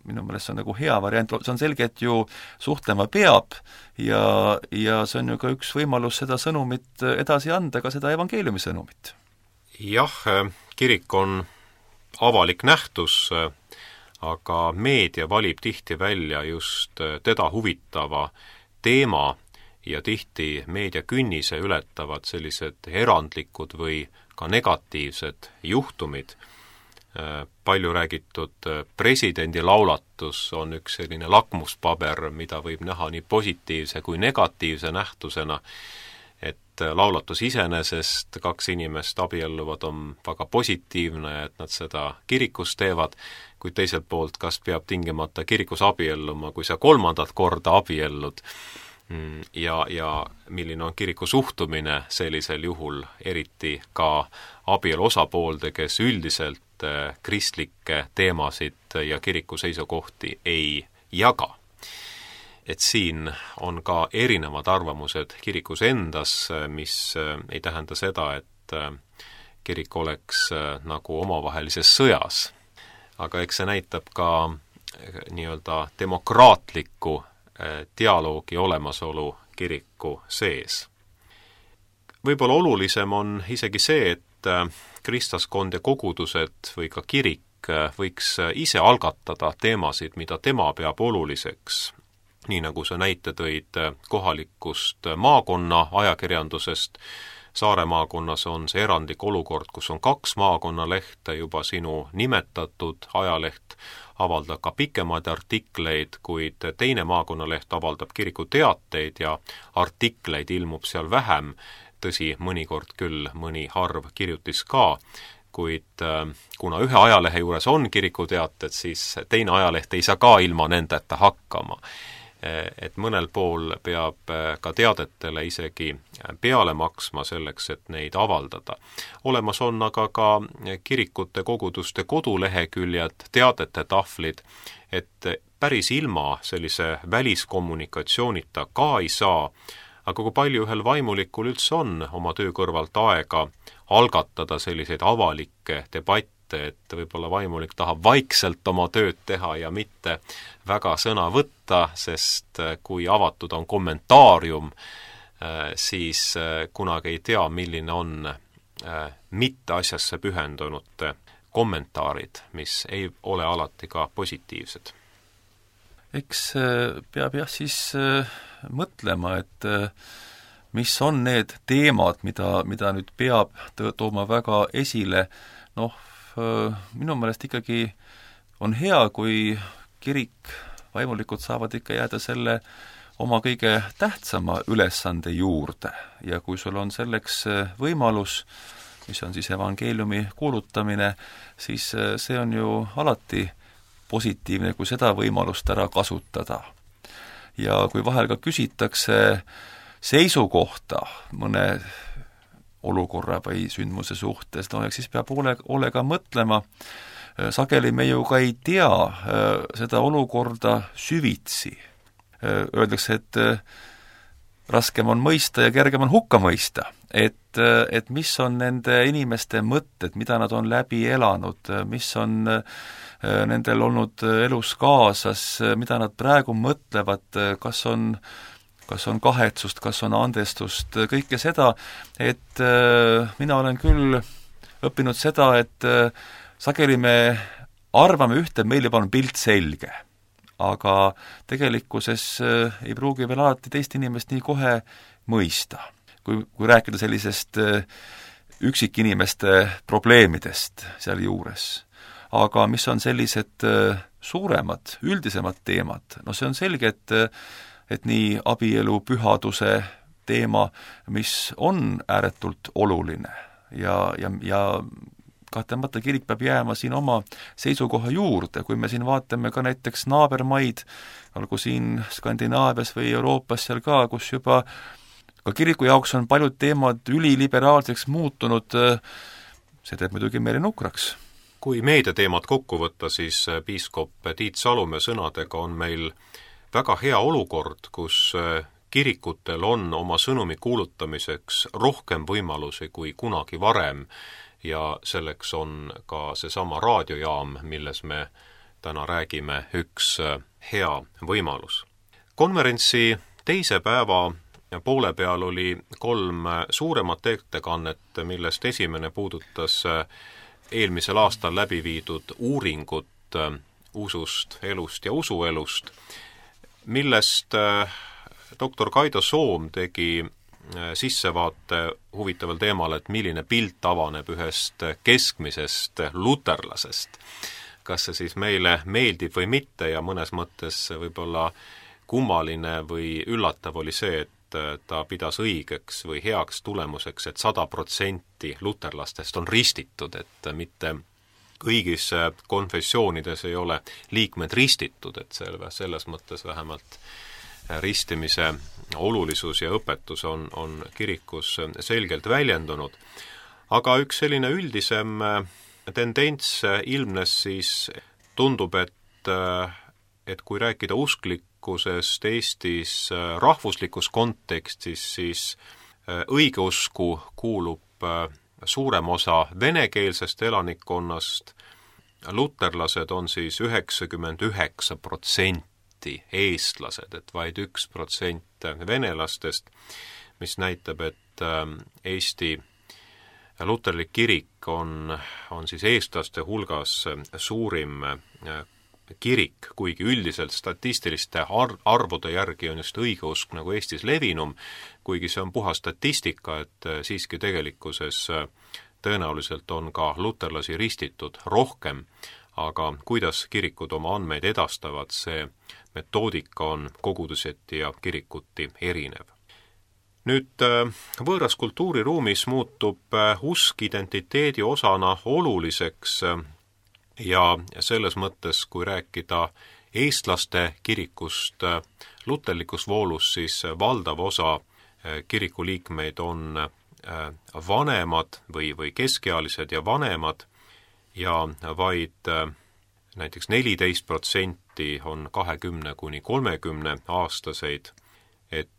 minu meelest see on nagu hea variant, see on selge, et ju suhtlema peab ja see on ju ka üks võimalus seda sõnumit edasi anda, ka seda evangeeliumi sõnumit. Jah, kirik on avalik nähtus, aga meedia valib tihti välja just teda huvitava teema ja tihti meedia künnise ületavad sellised erandlikud või ka negatiivsed juhtumid. Palju räägitud presidendi laulatus on üks selline lakmuspaber, mida võib näha nii positiivse kui negatiivse nähtusena, et laulatus iseenesest 2 inimest abielluvad on väga positiivne, et nad seda kirikus teevad, kuid teiselt poolt, kas peab tingimata kirikus abielluma, kui sa 3. korda abiellud ja milline on kiriku suhtumine sellisel juhul, eriti ka abielu osapoolde, kes üldiselt kristlikke teemasid ja kiriku seisukohti ei jaga. Et siin on ka erinevad arvamused kirikus endas, mis ei tähenda seda, et kirik oleks nagu omavahelises sõjas. Aga eks see näitab ka nii-öelda demokraatliku dialoogi olemasolu kiriku sees. Võib-olla olulisem on isegi see, et kristlaskond ja kogudused või ka kirik võiks ise algatada teemasid, mida tema peab oluliseks. Nii nagu sa näite tõid kohalikust maakonna ajakirjandusest, Saare maakonnas on see erandlik olukord, kus on 2 maakonnalehte, juba sinu nimetatud ajaleht avaldab ka pikemaid artikleid, kuid teine maakonnaleht avaldab kiriku teateid ja artikleid ilmub seal vähem, tõsi, mõnikord küll mõni harv kirjutis ka, kuid kuna ühe ajalehe juures on kiriku teated, siis teine ajaleht ei saa ka ilma nendeta hakkama. Et mõnel pool peab ka teadetele isegi peale maksma selleks, et neid avaldada. Olemas on aga ka kirikute koguduste koduleheküljed, teadete tahvlid, et päris ilma sellise väliskommunikatsioonita ka ei saa, aga kui palju ühel vaimulikul üldse on oma töö kõrvalt aega algatada selliseid avalikke debatte, et võib-olla vaimulik tahab vaikselt oma tööd teha ja mitte väga sõna võtta, sest kui avatud on kommentaarium, siis kunagi ei tea, milline on mitte asjasse pühendunute kommentaarid, mis ei ole alati ka positiivsed. Eks peab jah siis mõtlema, et mis on need teemad, mida nüüd peab tooma väga esile, minu meelest ikkagi on hea, kui kirik, vaimulikud saavad ikka jääda selle oma kõige tähtsama ülesande juurde ja kui sul on selleks võimalus, mis on siis evangeeliumi kuulutamine, siis see on ju alati positiivne, kui seda võimalust ära kasutada. Ja kui vahel ka küsitakse seisukohta mõne olukorra või sündmuse suhtes, eks siis peab hoolega mõtlema. Sageli me ju ka ei tea seda olukorda süvitsi. Öeldakse, et raskem on mõista ja kergem on hukka mõista. Et mis on nende inimeste mõtted, mida nad on läbi elanud, mis on nendel olnud elus kaasas, mida nad praegu mõtlevad, kas on kahetsust, kas on andestust, kõike seda, et mina olen küll õppinud seda, et sageli me arvame ühte, meil juba on pilt selge, aga tegelikkuses ei pruugi veel alati teist inimest nii kohe mõista. Kui rääkida sellisest üksikinimeste probleemidest seal juures. Aga mis on sellised suuremad, üldisemad teemad, no see on selge, et nii abielu pühaduse teema, mis on ääretult oluline ja kahtlemata kirik peab jääma siin oma seisukoha juurde, kui me siin vaatame ka näiteks naabermaid, olgu siin Skandinaavias või Euroopas seal ka, kus juba ka kiriku jaoks on paljud teemad üliliberaalseks muutunud, see teeb muidugi meile nukraks. Kui meediateemad kokku võtta, siis piiskop Tiit Salumäe sõnadega on meil väga hea olukord, kus kirikutel on oma sõnumi kuulutamiseks rohkem võimalusi kui kunagi varem ja selleks on ka seesama raadiojaam, milles me täna räägime, üks hea võimalus. Konverentsi teise päeva poole peal oli 3 suuremat ettekannet, millest esimene puudutas eelmisel aastal läbi viidud uuringut usust, elust ja usuelust, millest doktor Kaido Soom tegi sissevaate huvitaval teemal, et milline pilt avaneb ühest keskmisest luterlasest. Kas see siis meile meeldib või mitte ja mõnes mõttes võib-olla kummaline või üllatav oli see, et ta pidas õigeks või heaks tulemuseks, et 100% luterlastest on ristitud, et mitte kõigis konfessioonides ei ole liikmed ristitud, et selles mõttes vähemalt ristimise olulisus ja õpetus on kirikus selgelt väljendunud. Aga üks selline üldisem tendents ilmnes siis, tundub, et kui rääkida usklikkusest Eestis rahvuslikus kontekstis, siis õigeusku kuulub suurem osa venekeelsest elanikkonnast, luterlased on siis 99% eestlased, et vaid 1% venelastest, mis näitab, et Eesti luterlik kirik on siis eestlaste hulgas suurim kirik, kuigi üldiselt statistiliste arvude järgi on just õigeusk nagu Eestis levinum, kuigi see on puha statistika, et siiski tegelikkuses tõenäoliselt on ka luterlasi ristitud rohkem, aga kuidas kirikud oma andmeid edastavad, see metoodika on koguduseti ja kirikuti erinev. Nüüd võõras kultuuriruumis muutub usk identiteedi osana oluliseks ja selles mõttes, kui rääkida eestlaste kirikust luterlikus voolus, siis valdav osa kirikuliikmeid on vanemad või keskealised ja vanemad ja vaid näiteks 14% on 20–30 aastaseid, et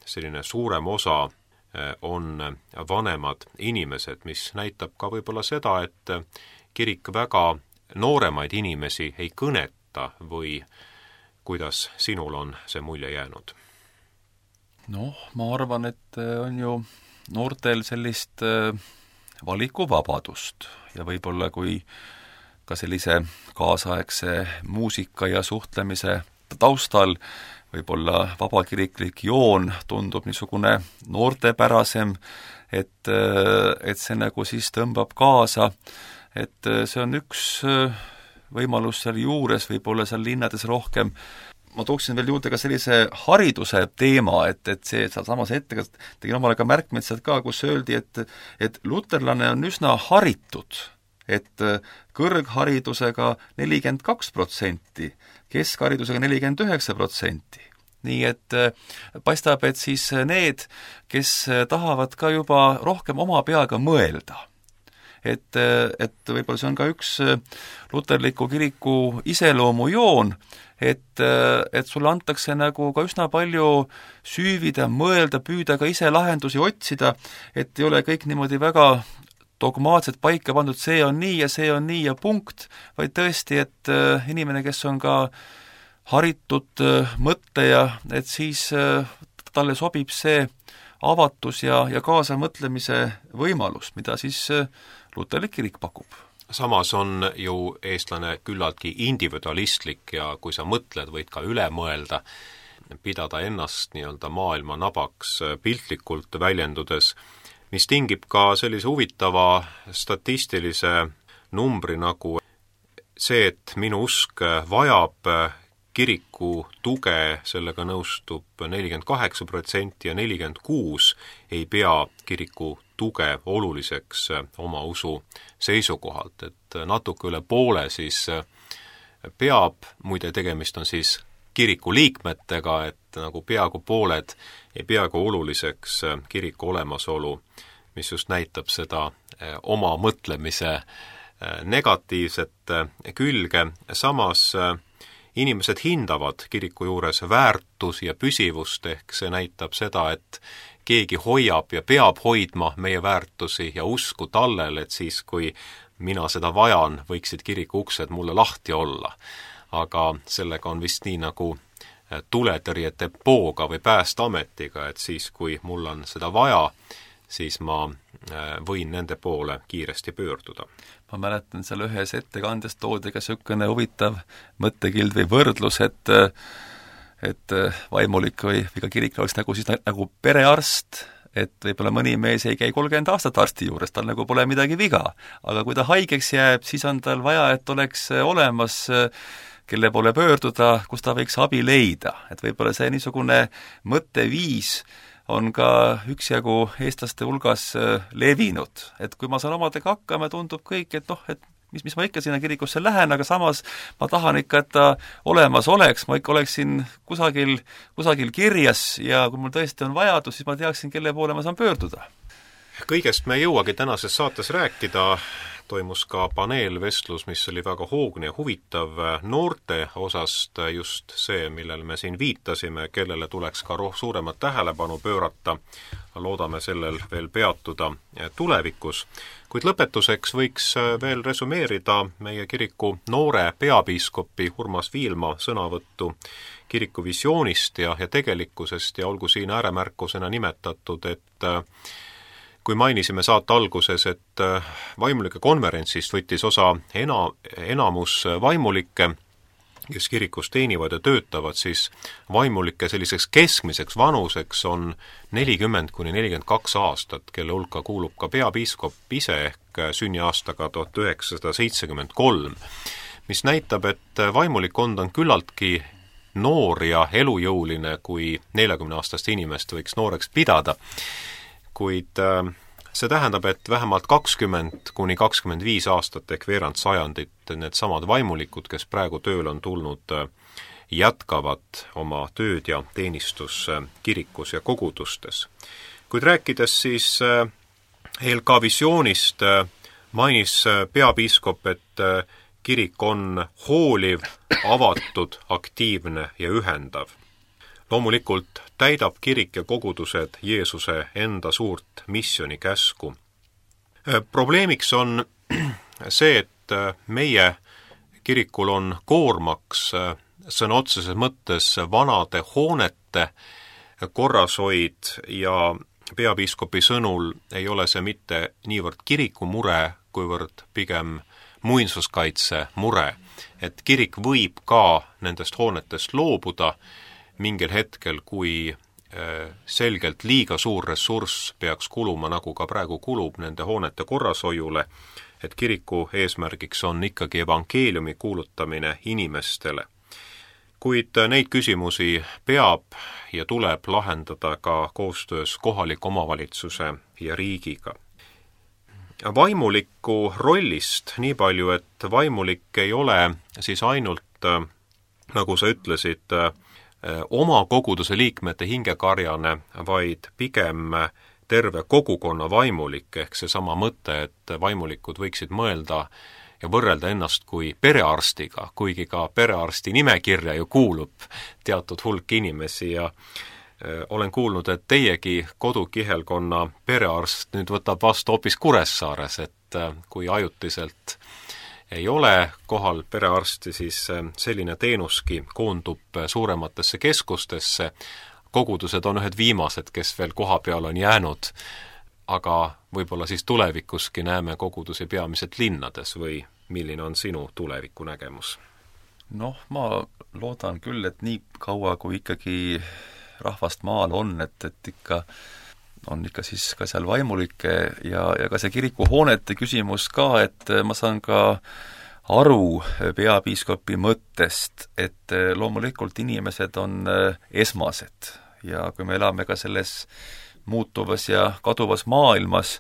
selline suurem osa on vanemad inimesed, mis näitab ka võib-olla seda, et kirik väga nooremaid inimesi ei kõneta või kuidas sinul on see mulje jäänud? Noh, ma arvan, et on ju noortel sellist valikuvabadust ja võib-olla kui ka sellise kaasaegse muusika ja suhtlemise taustal võib-olla vabakiriklik joon tundub niisugune noortepärasem, et see nagu siis tõmbab kaasa, et see on üks võimalus seal juures, võib-olla seal linnades rohkem. Ma tooksin veel juurde ka sellise hariduse teema, et see samas ette tegin omale ka märkmed sealt ka, kus öeldi, et luterlane on üsna haritud, et kõrgharidusega 42%, keskharidusega 49%. Nii et paistab, et siis need, kes tahavad ka juba rohkem oma peaga mõelda, et võib-olla see on ka üks luterliku kiriku iseloomujoon, et sulle antakse nagu ka üsna palju süüvida, mõelda, püüda ka ise lahendusi otsida, et ei ole kõik niimoodi väga dogmaatselt paika pandud, see on nii ja see on nii ja punkt, vaid tõesti, et inimene, kes on ka haritud mõtleja, et siis talle sobib see avatus ja kaasamõtlemise võimalus, mida siis luterlik kirik pakub. Samas on ju eestlane küllaltki individualistlik ja kui sa mõtled, võid ka üle mõelda, pidada ennast nii-öelda maailma nabaks piltlikult väljendudes, mis tingib ka sellise huvitava statistilise numbri nagu see, et minu usk vajab kiriku tuge, sellega nõustub 48% ja 46% ei pea kiriku tuge oluliseks oma usu seisukohalt, et natuke üle poole siis peab, muide tegemist on siis kiriku liikmetega, et nagu peaaegu pooled ei peaaegu oluliseks kiriku olemasolu, mis just näitab seda oma mõtlemise negatiivset külge. Samas inimesed hindavad kiriku juures väärtus ja püsivust, ehk see näitab seda, et keegi hoiab ja peab hoidma meie väärtusi ja usku tallel, et siis, kui mina seda vajan, võiksid kiriku uksed mulle lahti olla. Aga sellega on vist nii nagu tuletõrjedepooga või Päästeametiga, et siis, kui mul on seda vaja, siis ma võin nende poole kiiresti pöörduda. Ma mäletan, seal ühes ettekandes toodi ka niisugune huvitav mõttekild või võrdlus, et vaimulik või ka kirik oleks nagu perearst, et võib-olla mõni mees ei käi 30 aastat arsti juures, tal nagu pole midagi viga. Aga kui ta haigeks jääb, siis on tal vaja, et oleks olemas kelle poole pöörduda, kus ta võiks abi leida. Et võib-olla see niisugune mõtteviis on ka üksjagu eestlaste hulgas levinud. Et kui ma saan omadega hakkama, tundub kõik, et et mis ma ikka sinna kirikusse lähen, aga samas ma tahan ikka, et ta olemas oleks, ma ikka oleksin kusagil kirjas ja kui mul tõesti on vajadus, siis ma teaksin, kelle poole ma saan pöörduda. Kõigest me ei jõuagi tänases saates rääkida, toimus ka paneelvestlus, mis oli väga hoogne ja huvitav noorte osast, just see, millele me siin viitasime, kellele tuleks ka suuremat tähelepanu pöörata. Loodame sellel veel peatuda tulevikus. Kuid lõpetuseks võiks veel resumeerida meie kiriku noore peapiiskopi Urmas Viilma sõnavõttu kiriku visioonist ja tegelikkusest ja olgu siin ääremärkusena nimetatud, et kui mainisime saate alguses, et vaimulike konverentsist võttis osa enamus vaimulikke, kes kirikus teenivad ja töötavad, siis vaimulike selliseks keskmiseks vanuseks on 40–42 aastat, kelle hulka kuulub ka peapiiskop ise ehk sünniaastaga 1973, mis näitab, et vaimulikkond on küllaltki noor ja elujõuline, kui 40-aastast inimest võiks nooreks pidada. Kuid see tähendab, et vähemalt 20–25 aastat ehk veerand sajandit need samad vaimulikud, kes praegu tööl on tulnud, jätkavad oma tööd ja teenistus kirikus ja kogudustes. Kuid rääkides siis ELK visioonist, mainis peapiiskop, et kirik on hooliv, avatud, aktiivne ja ühendav. Loomulikult täidab kirik ja kogudused Jeesuse enda suurt missiooni käsku. Probleemiks on see, et meie kirikul on koormaks sõna otseses mõttes vanade hoonete korrashoid ja peapiiskopi sõnul ei ole see mitte niivõrd kiriku mure, kuivõrd pigem muinsuskaitse mure, et kirik võib ka nendest hoonetest loobuda mingil hetkel, kui selgelt liiga suur ressurss peaks kuluma, nagu ka praegu kulub nende hoonete korrashoiule, et kiriku eesmärgiks on ikkagi evangeeliumi kuulutamine inimestele. Kuid neid küsimusi peab ja tuleb lahendada ka koostöös kohaliku omavalitsuse ja riigiga. Vaimuliku rollist nii palju, et vaimulik ei ole siis ainult, nagu sa ütlesid, oma koguduse liikmete hingekarjane, vaid pigem terve kogukonna vaimulik, ehk seesama mõte, et vaimulikud võiksid mõelda ja võrrelda ennast kui perearstiga, kuigi ka perearsti nimekirja ju kuulub teatud hulk inimesi ja olen kuulnud, et teiegi kodukihelkonna perearst nüüd võtab vastu hoopis Kuressaares, et kui ajutiselt ei ole kohal perearsti, siis selline teenuski koondub suurematesse keskustesse. Kogudused on ühed viimased, kes veel koha peal on jäänud, aga võib-olla siis tulevikuski näeme kogudusi peamiselt linnades või milline on sinu tulevikunägemus? Noh, ma loodan küll, et nii kaua, kui ikkagi rahvast maal on, et ikka on ikka siis ka seal vaimulikke ja ka see kirikuhoonete küsimus ka, et ma saan ka aru peapiiskopi mõttest, et loomulikult inimesed on esmased ja kui me elame ka selles muutuvas ja kaduvas maailmas,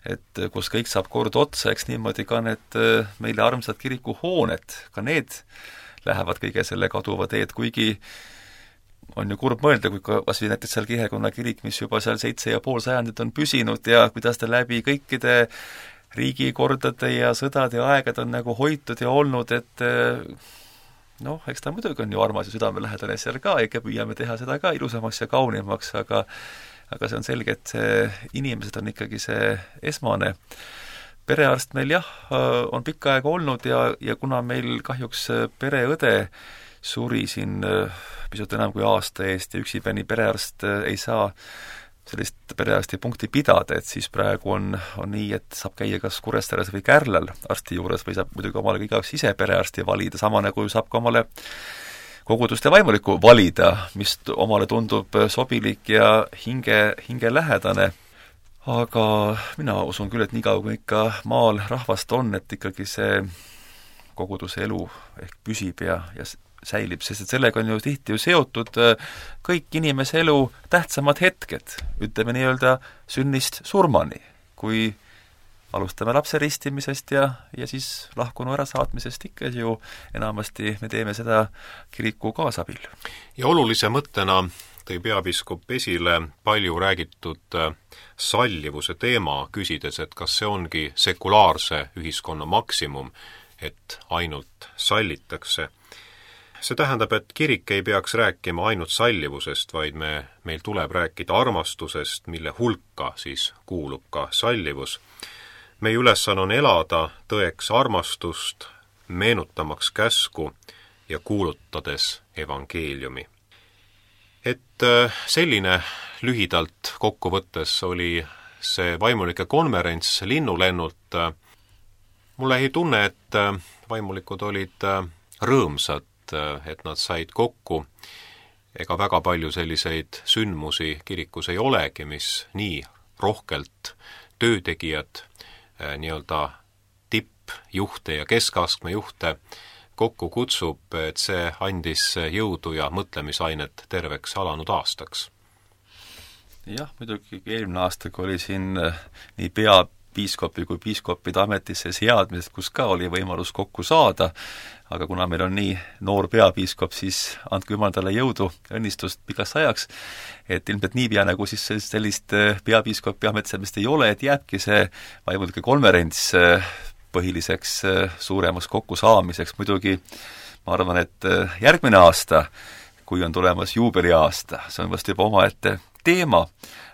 et kus kõik saab kord otsa, eks niimoodi ka need meile armsad kirikuhooned, ka need lähevad kõige selle kaduva teed, kuigi on ju kurb mõelda, kui kas või näiteks seal Kihelkonna kirik, mis juba seal 7,5 sajandit on püsinud ja kuidas ta läbi kõikide riigikordade ja sõdade aegad on nagu hoitud ja olnud, et noh, eks ta muidugi on ju armas ja südamelähedane seal ka, ikka püüame teha seda ka ilusamaks ja kaunimaks, aga see on selge, et inimesed on ikkagi see esmane. Perearst meil jah, on pikka aega olnud ja kuna meil kahjuks pereõde suri siin pisut enam kui aasta eest ja üksipäini perearst ei saa sellist perearsti punkti pidada, et siis praegu on nii, et saab käia kas Kuressaares või Kärlal arsti juures või saab muidugi omale igaüks ise perearsti valida, sama nagu saab ka omale koguduste vaimulikku valida, mis omale tundub sobilik ja hingelähedane. Aga mina usun küll, et niikaua kui ikka maal rahvast on, et ikkagi see koguduse elu ehk püsib ja säilib, sest et sellega on ju tihti seotud kõik inimese elu tähtsamad hetked, ütleme nii-öelda sünnist surmani, kui alustame lapse ristimisest ja siis lahkunu ärasaatmisest ikka ju enamasti me teeme seda kiriku kaasabil. Ja olulise mõttena tõi peapiiskop esile palju räägitud sallivuse teema, küsides, et kas see ongi sekulaarse ühiskonna maksimum, et ainult sallitakse. See tähendab, et kirik ei peaks rääkima ainult sallivusest, vaid meil tuleb rääkida armastusest, mille hulka siis kuulub ka sallivus. Meie ülesanne on elada tõeks armastust, meenutamaks käsku ja kuulutades evangeeliumi. Et selline lühidalt kokkuvõttes oli see vaimulike konverents linnulennult. Mulle ei tunne, et vaimulikud olid rõõmsad, et nad said kokku. Ega väga palju selliseid sündmusi kirikus ei olegi, mis nii rohkelt töötegijad, nii-öelda tippjuhte ja keskastme juhte kokku kutsub, et see andis jõudu ja mõtlemisainet terveks alanud aastaks. Jah, muidugi eelmine aasta, kui oli siin nii peapiiskopi kui piiskopide ametisse seadmised, kus ka oli võimalus kokku saada, aga kuna meil on nii noor peapiiskop, siis andke jumal talle jõudu, õnnistust pikaks ajaks, et ilmselt niipea nagu siis sellist peapiiskopi ametsemist ei ole, et jääbki see vaimulike konverents põhiliseks suuremaks kokkusaamiseks. Muidugi ma arvan, et järgmine aasta, kui on tulemas juubeliaasta, see on vast juba omaette teema,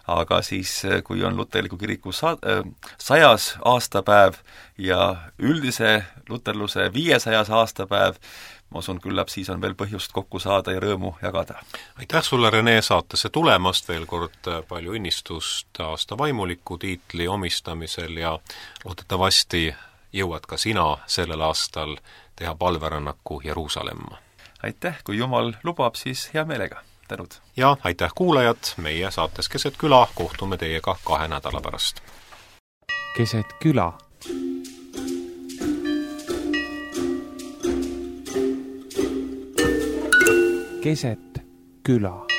aga siis, kui on luterliku kiriku 100. aastapäev ja üldise luterluse 500. aastapäev, ma usun, küllap siis on veel põhjust kokku saada ja rõõmu jagada. Aitäh sulle, Rene, saatesse tulemast, veel kord palju õnnistust aasta vaimuliku tiitli omistamisel ja loodetavasti jõuad ka sina sellel aastal teha palverännaku Jeruusalemma. Aitäh, kui Jumal lubab, siis hea meelega. Tänud. Ja aitäh kuulajad, meie saates Keset küla kohtume teiega 2 nädala pärast. Keset küla. Keset küla.